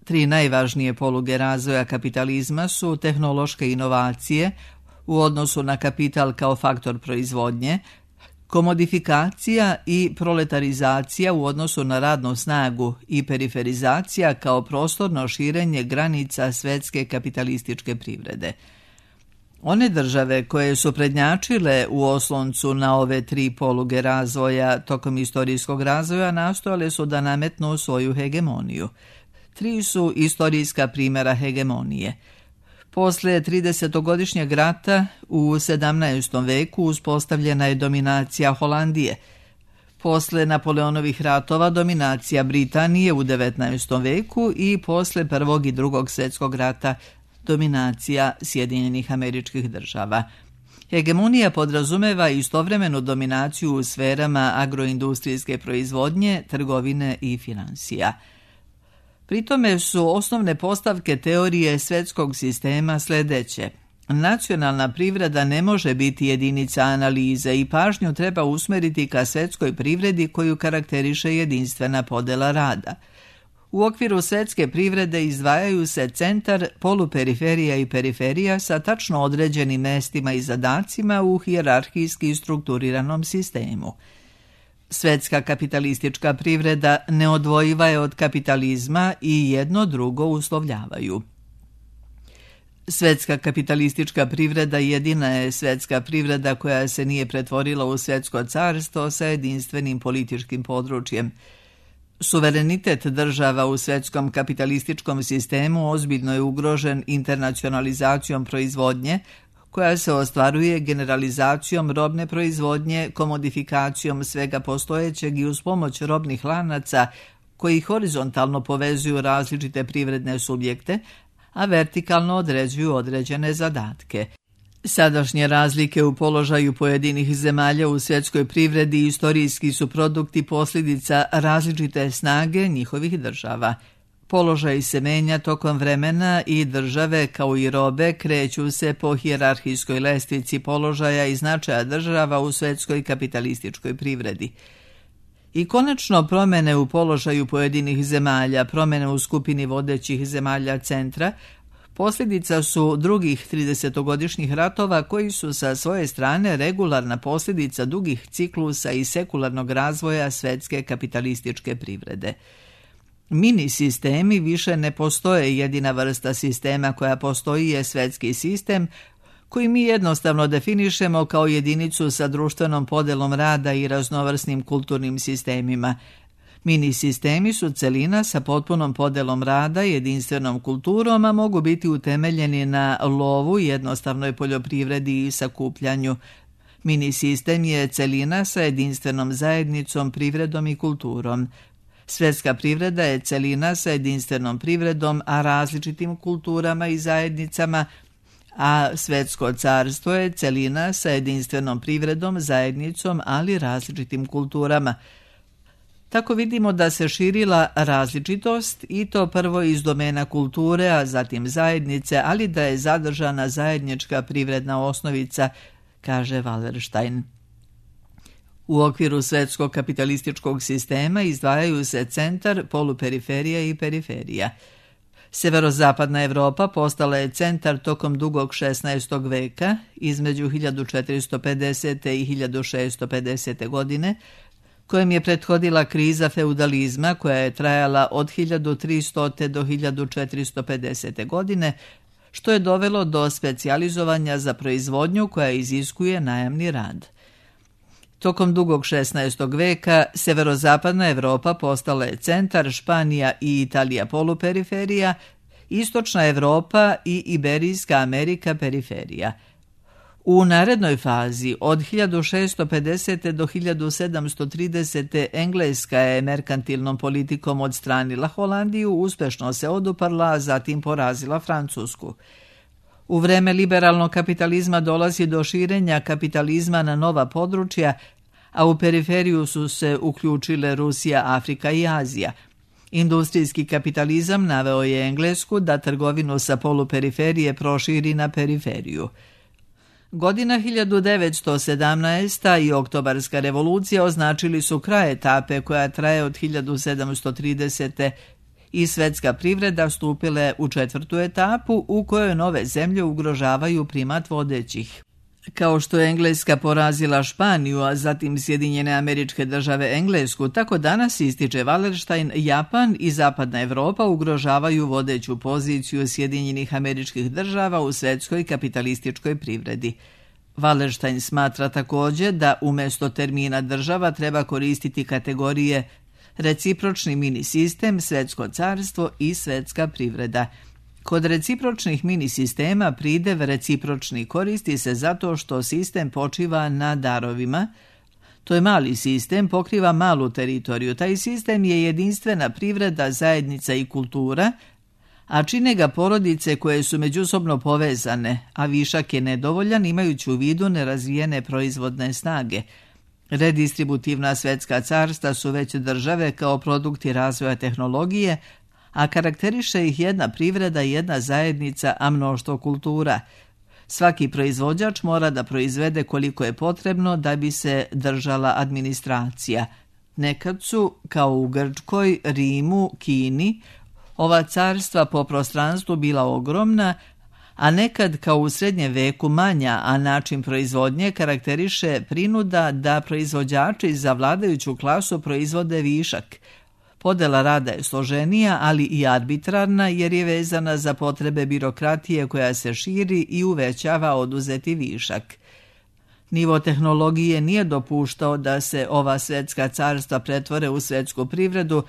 3 najvažnije poluge razvoja kapitalizma su tehnološke inovacije u odnosu na kapital kao faktor proizvodnje, komodifikacija i proletarizacija u odnosu na radnu snagu i periferizacija kao prostorno širenje granica svetske kapitalističke privrede. One države koje su prednjačile u osloncu na ove 3 poluge razvoja tokom istorijskog razvoja nastojale su da nametnu svoju hegemoniju. 3 su istorijska primjera hegemonije. Posle 30-godišnjeg rata u 17. veku uspostavljena je dominacija Holandije. Posle Napoleonovih ratova dominacija Britanije u 19. veku i posle Prvog i Drugog svjetskog rata dominacija Sjedinjenih Američkih Država. Hegemonija podrazumeva istovremenu dominaciju u sferama agroindustrijske proizvodnje, trgovine i finansija. Pritome su osnovne postavke teorije svjetskog sistema sljedeće. Nacionalna privreda ne može biti jedinica analize i pažnju treba usmeriti ka svjetskoj privredi koju karakteriše jedinstvena podela rada. U okviru svjetske privrede izdvajaju se centar, poluperiferija i periferija sa tačno određenim mestima i zadacima u hijerarhijski strukturiranom sistemu. Svjetska kapitalistička privreda neodvojiva je od kapitalizma i jedno drugo uslovljavaju. Svjetska kapitalistička privreda jedina je svjetska privreda koja se nije pretvorila u svjetsko carstvo sa jedinstvenim političkim područjem. Suverenitet država u svjetskom kapitalističkom sistemu ozbiljno je ugrožen internacionalizacijom proizvodnje, koja se ostvaruje generalizacijom robne proizvodnje, komodifikacijom svega postojećeg i uz pomoć robnih lanaca koji horizontalno povezuju različite privredne subjekte, a vertikalno određuju određene zadatke. Sadašnje razlike u položaju pojedinih zemalja u svjetskoj privredi istorijski su produkti posljedica različite snage njihovih država. Položaj se menja tokom vremena i države kao i robe kreću se po hijerarhijskoj lestvici položaja i značaja država u svjetskoj kapitalističkoj privredi. I konačno promjene u položaju pojedinih zemalja, promjene u skupini vodećih zemalja centra, posljedica su drugih 30-godišnjih ratova koji su sa svoje strane regularna posljedica dugih ciklusa i sekularnog razvoja svjetske kapitalističke privrede. Mini sistemi više ne postoje, jedina vrsta sistema koja postoji je svjetski sistem, koji mi jednostavno definišemo kao jedinicu sa društvenom podelom rada i raznovrsnim kulturnim sistemima. Mini sistemi su celina sa potpunom podelom rada i jedinstvenom kulturom, a mogu biti utemeljeni na lovu, jednostavnoj poljoprivredi i sakupljanju. Mini sistem je celina sa jedinstvenom zajednicom, privredom i kulturom. Svjetska privreda je celina sa jedinstvenom privredom, a različitim kulturama i zajednicama, a svjetsko carstvo je celina sa jedinstvenom privredom, zajednicom, ali različitim kulturama. Tako vidimo da se širila različitost i to prvo iz domena kulture, a zatim zajednice, ali da je zadržana zajednička privredna osnovica, kaže Wallerstein. U okviru svjetskog kapitalističkog sistema izdvajaju se centar, poluperiferija i periferija. Severozapadna Evropa postala je centar tokom dugog 16. veka, između 1450. i 1650. godine, kojem je prethodila kriza feudalizma koja je trajala od 1300. do 1450. godine, što je dovelo do specijalizovanja za proizvodnju koja iziskuje najamni rad. Tokom dugog 16. veka severozapadna Evropa postala je centar, Španija i Italija poluperiferija, istočna Evropa i Iberijska Amerika periferija. U narednoj fazi od 1650. do 1730. Engleska je merkantilnom politikom odstranila Holandiju, uspešno se oduparla, a zatim porazila Francusku. U vreme liberalnog kapitalizma dolazi do širenja kapitalizma na nova područja, a u periferiju su se uključile Rusija, Afrika i Azija. Industrijski kapitalizam naveo je Englesku da trgovinu sa poluperiferije proširi na periferiju. Godina 1917. i Oktobarska revolucija označili su kraj etape koja traje od 1730. i svjetska privreda stupila u četvrtu etapu u kojoj nove zemlje ugrožavaju primat vodećih. Kao što je Engleska porazila Španiju, a zatim Sjedinjene Američke Države Englesku, tako danas, ističe Wallerstein, Japan i Zapadna Evropa ugrožavaju vodeću poziciju Sjedinjenih Američkih Država u svjetskoj kapitalističkoj privredi. Wallerstein smatra također da umjesto termina država treba koristiti kategorije recipročni mini sistem, svjetsko carstvo i svjetska privreda. Kod recipročnih mini sistema pridev recipročni koristi se zato što sistem počiva na darovima, To je mali sistem, pokriva malu teritoriju. Taj sistem je jedinstvena privreda, zajednica i kultura, a čine ga porodice koje su međusobno povezane, a višak je nedovoljan imajući u vidu nerazvijene proizvodne snage. Redistributivna svetska carstva su već države kao produkti razvoja tehnologije, a karakteriše ih jedna privreda, jedna zajednica, a mnoštvo kultura. Svaki proizvođač mora da proizvede koliko je potrebno da bi se držala administracija. Nekad su, kao u Grčkoj, Rimu, Kini, ova carstva po prostranstvu bila ogromna, a nekad kao u srednjem veku manja, a način proizvodnje karakteriše prinuda da proizvođači za vladajuću klasu proizvode višak. Podela rada je složenija, ali i arbitrarna jer je vezana za potrebe birokratije koja se širi i uvećava oduzeti višak. Nivo tehnologije nije dopuštao da se ova svetska carstva pretvore u svetsku privredu,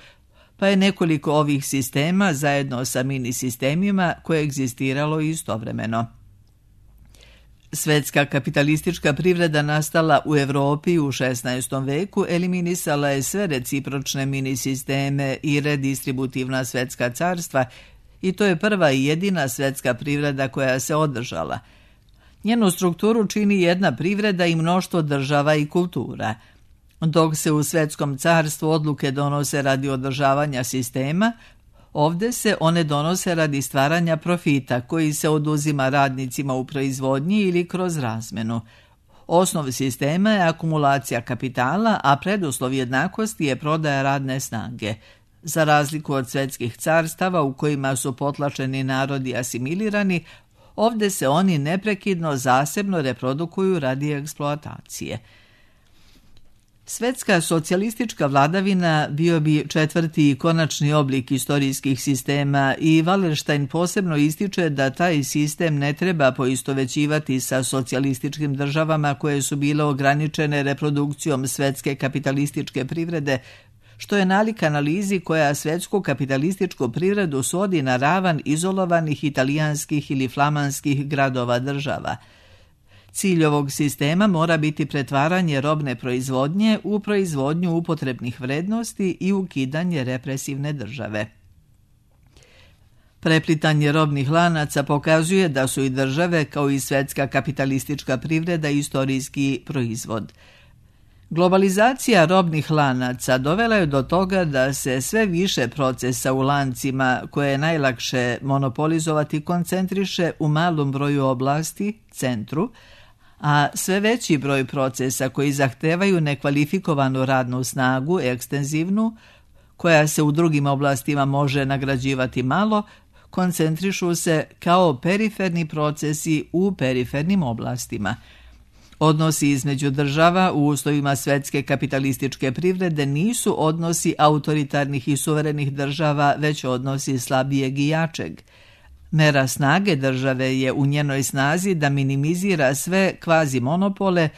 pa je nekoliko ovih sistema zajedno sa mini sistemima koegzistiralo istovremeno. Svetska kapitalistička privreda nastala u Evropi u 16. veku eliminisala je sve recipročne mini sisteme i redistributivna svetska carstva i to je prva i jedina svetska privreda koja se održala. Njenu strukturu čini jedna privreda i mnoštvo država i kultura. Dok se u svetskom carstvu odluke donose radi održavanja sistema, ovdje se one donose radi stvaranja profita koji se oduzima radnicima u proizvodnji ili kroz razmenu. Osnov sistema je akumulacija kapitala, a preduslov jednakosti je prodaja radne snage. Za razliku od svetskih carstava u kojima su potlačeni narodi asimilirani, ovdje se oni neprekidno zasebno reprodukuju radi eksploatacije. Svetska socijalistička vladavina bio bi četvrti i konačni oblik istorijskih sistema i Wallerstein posebno ističe da taj sistem ne treba poistovećivati sa socijalističkim državama koje su bile ograničene reprodukcijom svetske kapitalističke privrede, što je nalik analizi koja svetsku kapitalističku privredu svodi na ravan izolovanih italijanskih ili flamanskih gradova država. Cilj ovog sistema mora biti pretvaranje robne proizvodnje u proizvodnju upotrebnih vrednosti i ukidanje represivne države. Preplitanje robnih lanaca pokazuje da su i države kao i svetska kapitalistička privreda istorijski proizvod. Globalizacija robnih lanaca dovela je do toga da se sve više procesa u lancima koje je najlakše monopolizovati koncentriše u malom broju oblasti, centru, a sve veći broj procesa koji zahtevaju nekvalifikovanu radnu snagu, ekstenzivnu, koja se u drugim oblastima može nagrađivati malo, koncentrišu se kao periferni procesi u perifernim oblastima. Odnosi između država u uslovima svetske kapitalističke privrede nisu odnosi autoritarnih i suverenih država, već odnosi slabijeg i jačeg. Mera snage države je u njenoj snazi da minimizira sve kvazi monopole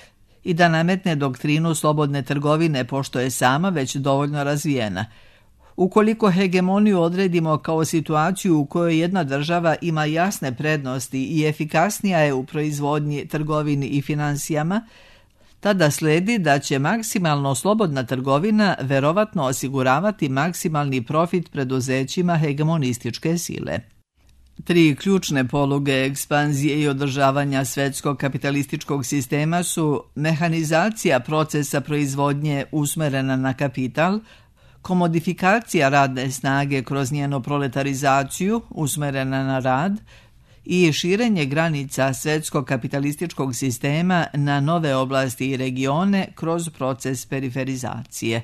i da nametne doktrinu slobodne trgovine pošto je sama već dovoljno razvijena. Ukoliko hegemoniju odredimo kao situaciju u kojoj jedna država ima jasne prednosti i efikasnija je u proizvodnji, trgovini i finansijama, tada sledi da će maksimalno slobodna trgovina verovatno osiguravati maksimalni profit preduzećima hegemonističke sile. Tri ključne poluge ekspanzije i održavanja svetskog kapitalističkog sistema su mehanizacija procesa proizvodnje usmerena na kapital, komodifikacija radne snage kroz njenu proletarizaciju usmerena na rad i širenje granica svetskog kapitalističkog sistema na nove oblasti i regione kroz proces periferizacije.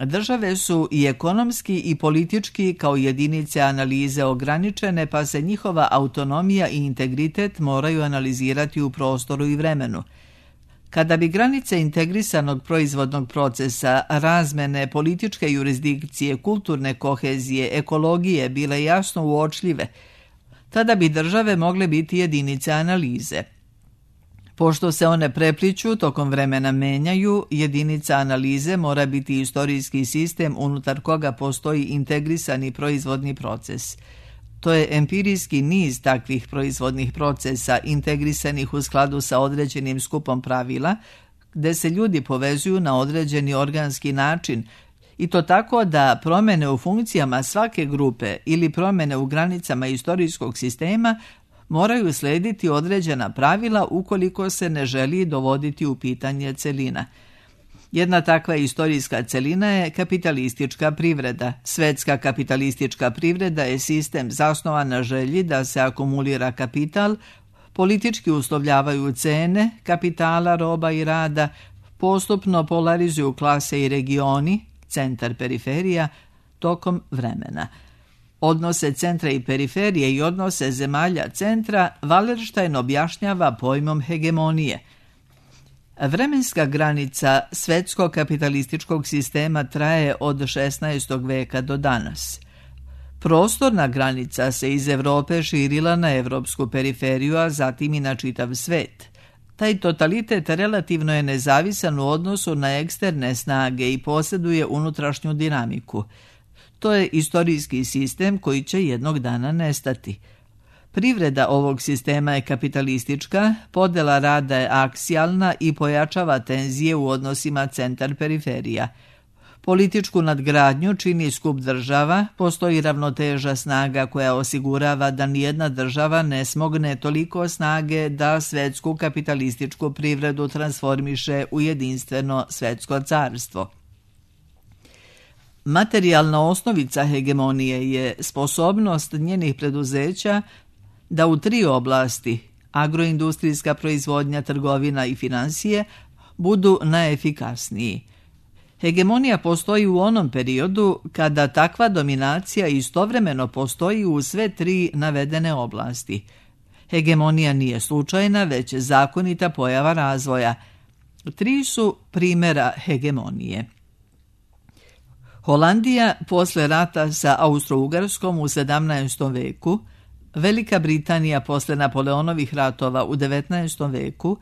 Države su i ekonomski i politički kao jedinice analize ograničene, pa se njihova autonomija i integritet moraju analizirati u prostoru i vremenu. Kada bi granice integrisanog proizvodnog procesa, razmene, političke jurisdikcije, kulturne kohezije, ekologije bile jasno uočljive, tada bi države mogle biti jedinice analize. Pošto se one prepliću, tokom vremena menjaju, jedinica analize mora biti istorijski sistem unutar koga postoji integrisani proizvodni proces. To je empirijski niz takvih proizvodnih procesa integrisanih u skladu sa određenim skupom pravila, gde se ljudi povezuju na određeni organski način, i to tako da promjene u funkcijama svake grupe ili promjene u granicama istorijskog sistema moraju slediti određena pravila ukoliko se ne želi dovoditi u pitanje celina. Jedna takva istorijska celina je kapitalistička privreda. Svetska kapitalistička privreda je sistem zasnovan na želji da se akumulira kapital, politički uslovljavaju cene kapitala, roba i rada, postupno polarizuju klase i regioni, centar, periferija, tokom vremena. Odnose centra i periferije i odnose zemalja centra Wallerstein objašnjava pojmom hegemonije. Vremenska granica svetskog kapitalističkog sistema traje od 16. veka do danas. Prostorna granica se iz Evrope širila na evropsku periferiju, a zatim i na čitav svet. Taj totalitet relativno je nezavisan u odnosu na eksterne snage i posjeduje unutrašnju dinamiku. To je istorijski sistem koji će jednog dana nestati. Privreda ovog sistema je kapitalistička, podjela rada je aksijalna i pojačava tenzije u odnosima centar-periferija. Političku nadgradnju čini skup država, postoji ravnoteža snaga koja osigurava da nijedna država ne smogne toliko snage da svetsku kapitalističku privredu transformiše u jedinstveno svetsko carstvo. Materijalna osnovica hegemonije je sposobnost njenih preduzeća da u 3 oblasti, agroindustrijska proizvodnja, trgovina i financije, budu najefikasniji. Hegemonija postoji u onom periodu kada takva dominacija istovremeno postoji u sve 3 navedene oblasti. Hegemonija nije slučajna, već zakonita pojava razvoja. 3 su primjera hegemonije. Holandija posle rata sa Austro-Ugarskom u 17. veku, Velika Britanija posle Napoleonovih ratova u 19. veku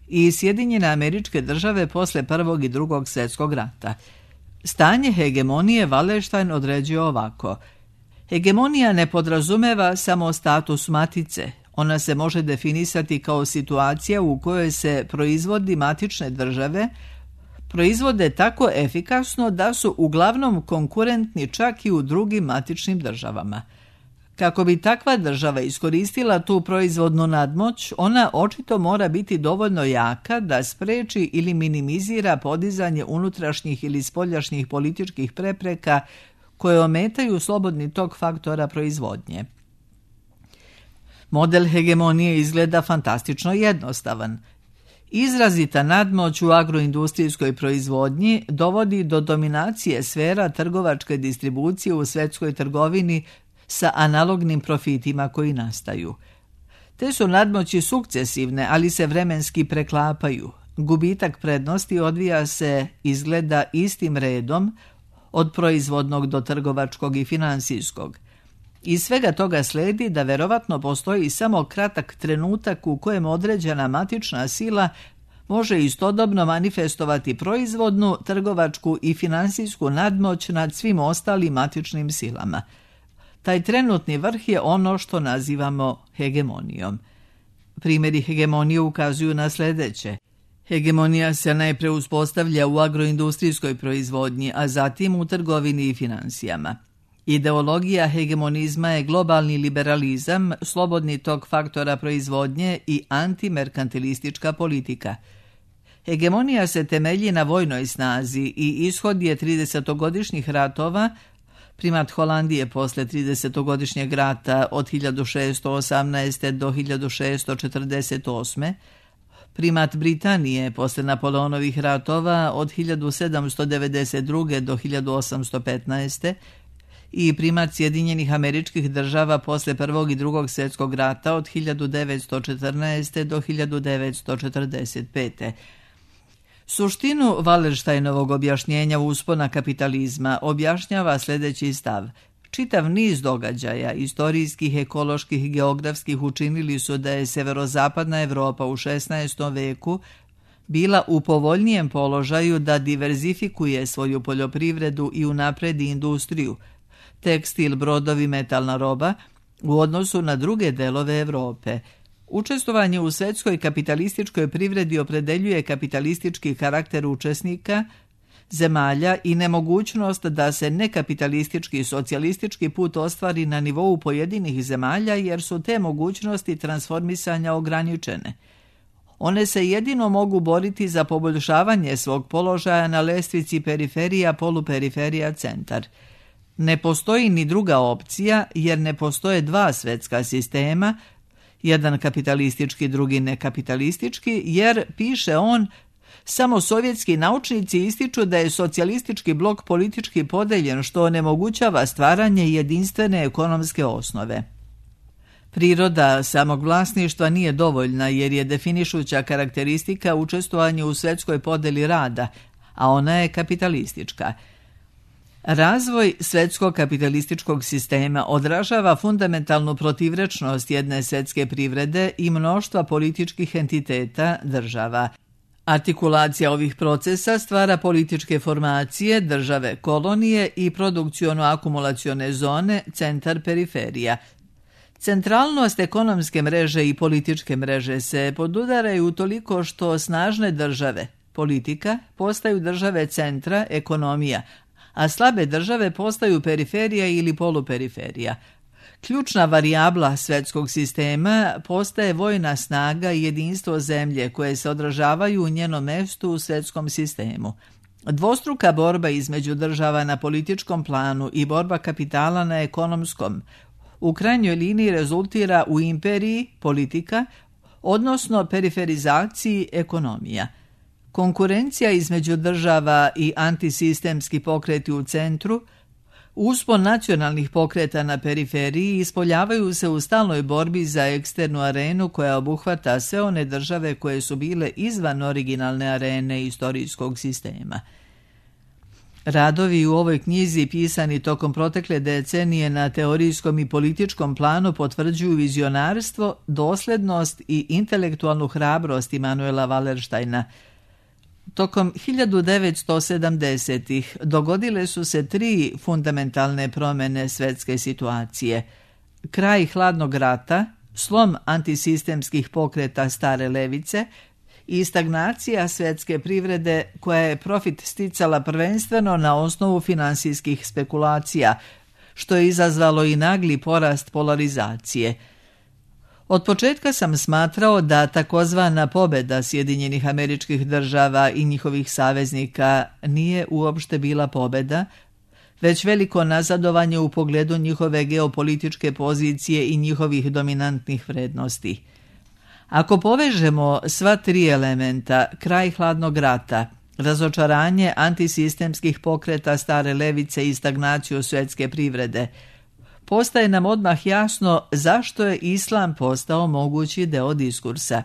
i Sjedinjene Američke Države posle Prvog i Drugog svjetskog rata. Stanje hegemonije Wallerstein određuje ovako. Hegemonija ne podrazumeva samo status matice. Ona se može definisati kao situacija u kojoj se proizvodi matične države proizvode tako efikasno da su uglavnom konkurentni čak i u drugim matičnim državama. Kako bi takva država iskoristila tu proizvodnu nadmoć, ona očito mora biti dovoljno jaka da spreči ili minimizira podizanje unutrašnjih ili spoljašnjih političkih prepreka koje ometaju slobodni tok faktora proizvodnje. Model hegemonije izgleda fantastično jednostavan. Izrazita nadmoć u agroindustrijskoj proizvodnji dovodi do dominacije sfera trgovačke distribucije u svetskoj trgovini sa analognim profitima koji nastaju. Te su nadmoći sukcesivne, ali se vremenski preklapaju. Gubitak prednosti odvija se, izgleda, istim redom od proizvodnog do trgovačkog i finansijskog. Iz svega toga sledi da verovatno postoji samo kratak trenutak u kojem određena matična sila može istodobno manifestovati proizvodnu, trgovačku i finansijsku nadmoć nad svim ostalim matičnim silama. Taj trenutni vrh je ono što nazivamo hegemonijom. Primjeri hegemonije ukazuju na sljedeće. Hegemonija se najpre uspostavlja u agroindustrijskoj proizvodnji, a zatim u trgovini i finansijama. Ideologija hegemonizma je globalni liberalizam, slobodni tok faktora proizvodnje i antimerkantilistička politika. Hegemonija se temelji na vojnoj snazi i ishod je 30-godišnjih ratova, primat Holandije posle 30-godišnjeg rata od 1618. do 1648. Primat Britanije posle Napoleonovih ratova od 1792. do 1815. i primat Sjedinjenih Američkih Država posle Prvog i Drugog svjetskog rata od 1914. do 1945. Suštinu Wallersteinovog objašnjenja uspona kapitalizma objašnjava sljedeći stav. Čitav niz događaja, istorijskih, ekoloških, geografskih, učinili su da je severozapadna Evropa u 16. veku bila u povoljnijem položaju da diverzifikuje svoju poljoprivredu i unapredi industriju, tekstil, brodovi, metalna roba, u odnosu na druge delove Evrope. Učestvovanje u svetskoj kapitalističkoj privredi opredeljuje kapitalistički karakter učesnika, zemalja i nemogućnost da se nekapitalistički socijalistički put ostvari na nivou pojedinih zemalja jer su te mogućnosti transformisanja ograničene. One se jedino mogu boriti za poboljšavanje svog položaja na lestvici periferija, poluperiferija, centar. Ne postoji ni druga opcija jer ne postoje dva svetska sistema, jedan kapitalistički, drugi nekapitalistički, jer, piše on, samo sovjetski naučnici ističu da je socijalistički blok politički podeljen što onemogućava stvaranje jedinstvene ekonomske osnove. Priroda samog vlasništva nije dovoljna jer je definišuća karakteristika učestvovanje u svetskoj podeli rada, a ona je kapitalistička. Razvoj svetskog kapitalističkog sistema odražava fundamentalnu protivrečnost jedne svetske privrede i mnoštva političkih entiteta država. Artikulacija ovih procesa stvara političke formacije, države kolonije i produkciono-akumulacione zone, centar periferija. Centralnost ekonomske mreže i političke mreže se podudaraju toliko što snažne države, politika, postaju države centra, ekonomija, a slabe države postaju periferija ili poluperiferija. Ključna varijabla svetskog sistema postaje vojna snaga i jedinstvo zemlje koje se odražavaju u njenom mestu u svetskom sistemu. Dvostruka borba između država na političkom planu i borba kapitala na ekonomskom u krajnjoj liniji rezultira u imperiji, politika, odnosno periferizaciji, ekonomija. Konkurencija između država i antisistemski pokreti u centru, uspon nacionalnih pokreta na periferiji ispoljavaju se u stalnoj borbi za eksternu arenu koja obuhvata sve one države koje su bile izvan originalne arene istorijskog sistema. Radovi u ovoj knjizi pisani tokom protekle decenije na teorijskom i političkom planu potvrđuju vizionarstvo, doslednost i intelektualnu hrabrost Immanuela Wallersteina. Tokom 1970-ih dogodile su se 3 fundamentalne promjene svetske situacije. Kraj hladnog rata, slom antisistemskih pokreta stare levice i stagnacija svetske privrede koja je profit sticala prvenstveno na osnovu finansijskih spekulacija, što je izazvalo i nagli porast polarizacije. Od početka sam smatrao da takozvana pobjeda Sjedinjenih Američkih Država i njihovih saveznika nije uopšte bila pobjeda, već veliko nazadovanje u pogledu njihove geopolitičke pozicije i njihovih dominantnih vrednosti. Ako povežemo sva 3 elementa, kraj hladnog rata, razočaranje antisistemskih pokreta stare levice i stagnaciju svjetske privrede, postaje nam odmah jasno zašto je islam postao mogući deo diskursa.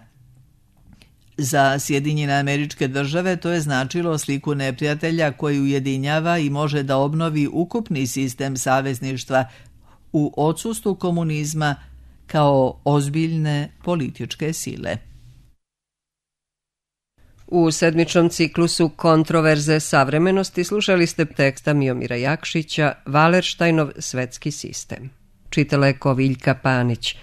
Za Sjedinjene Američke Države to je značilo sliku neprijatelja koji ujedinjava i može da obnovi ukupni sistem savezništva u odsustvu komunizma kao ozbiljne političke sile. U sedmičnom ciklusu Kontroverze savremenosti slušali ste teksta Miomira Jakšića Wallersteinov svetski sistem. Čitala je Koviljka Panić.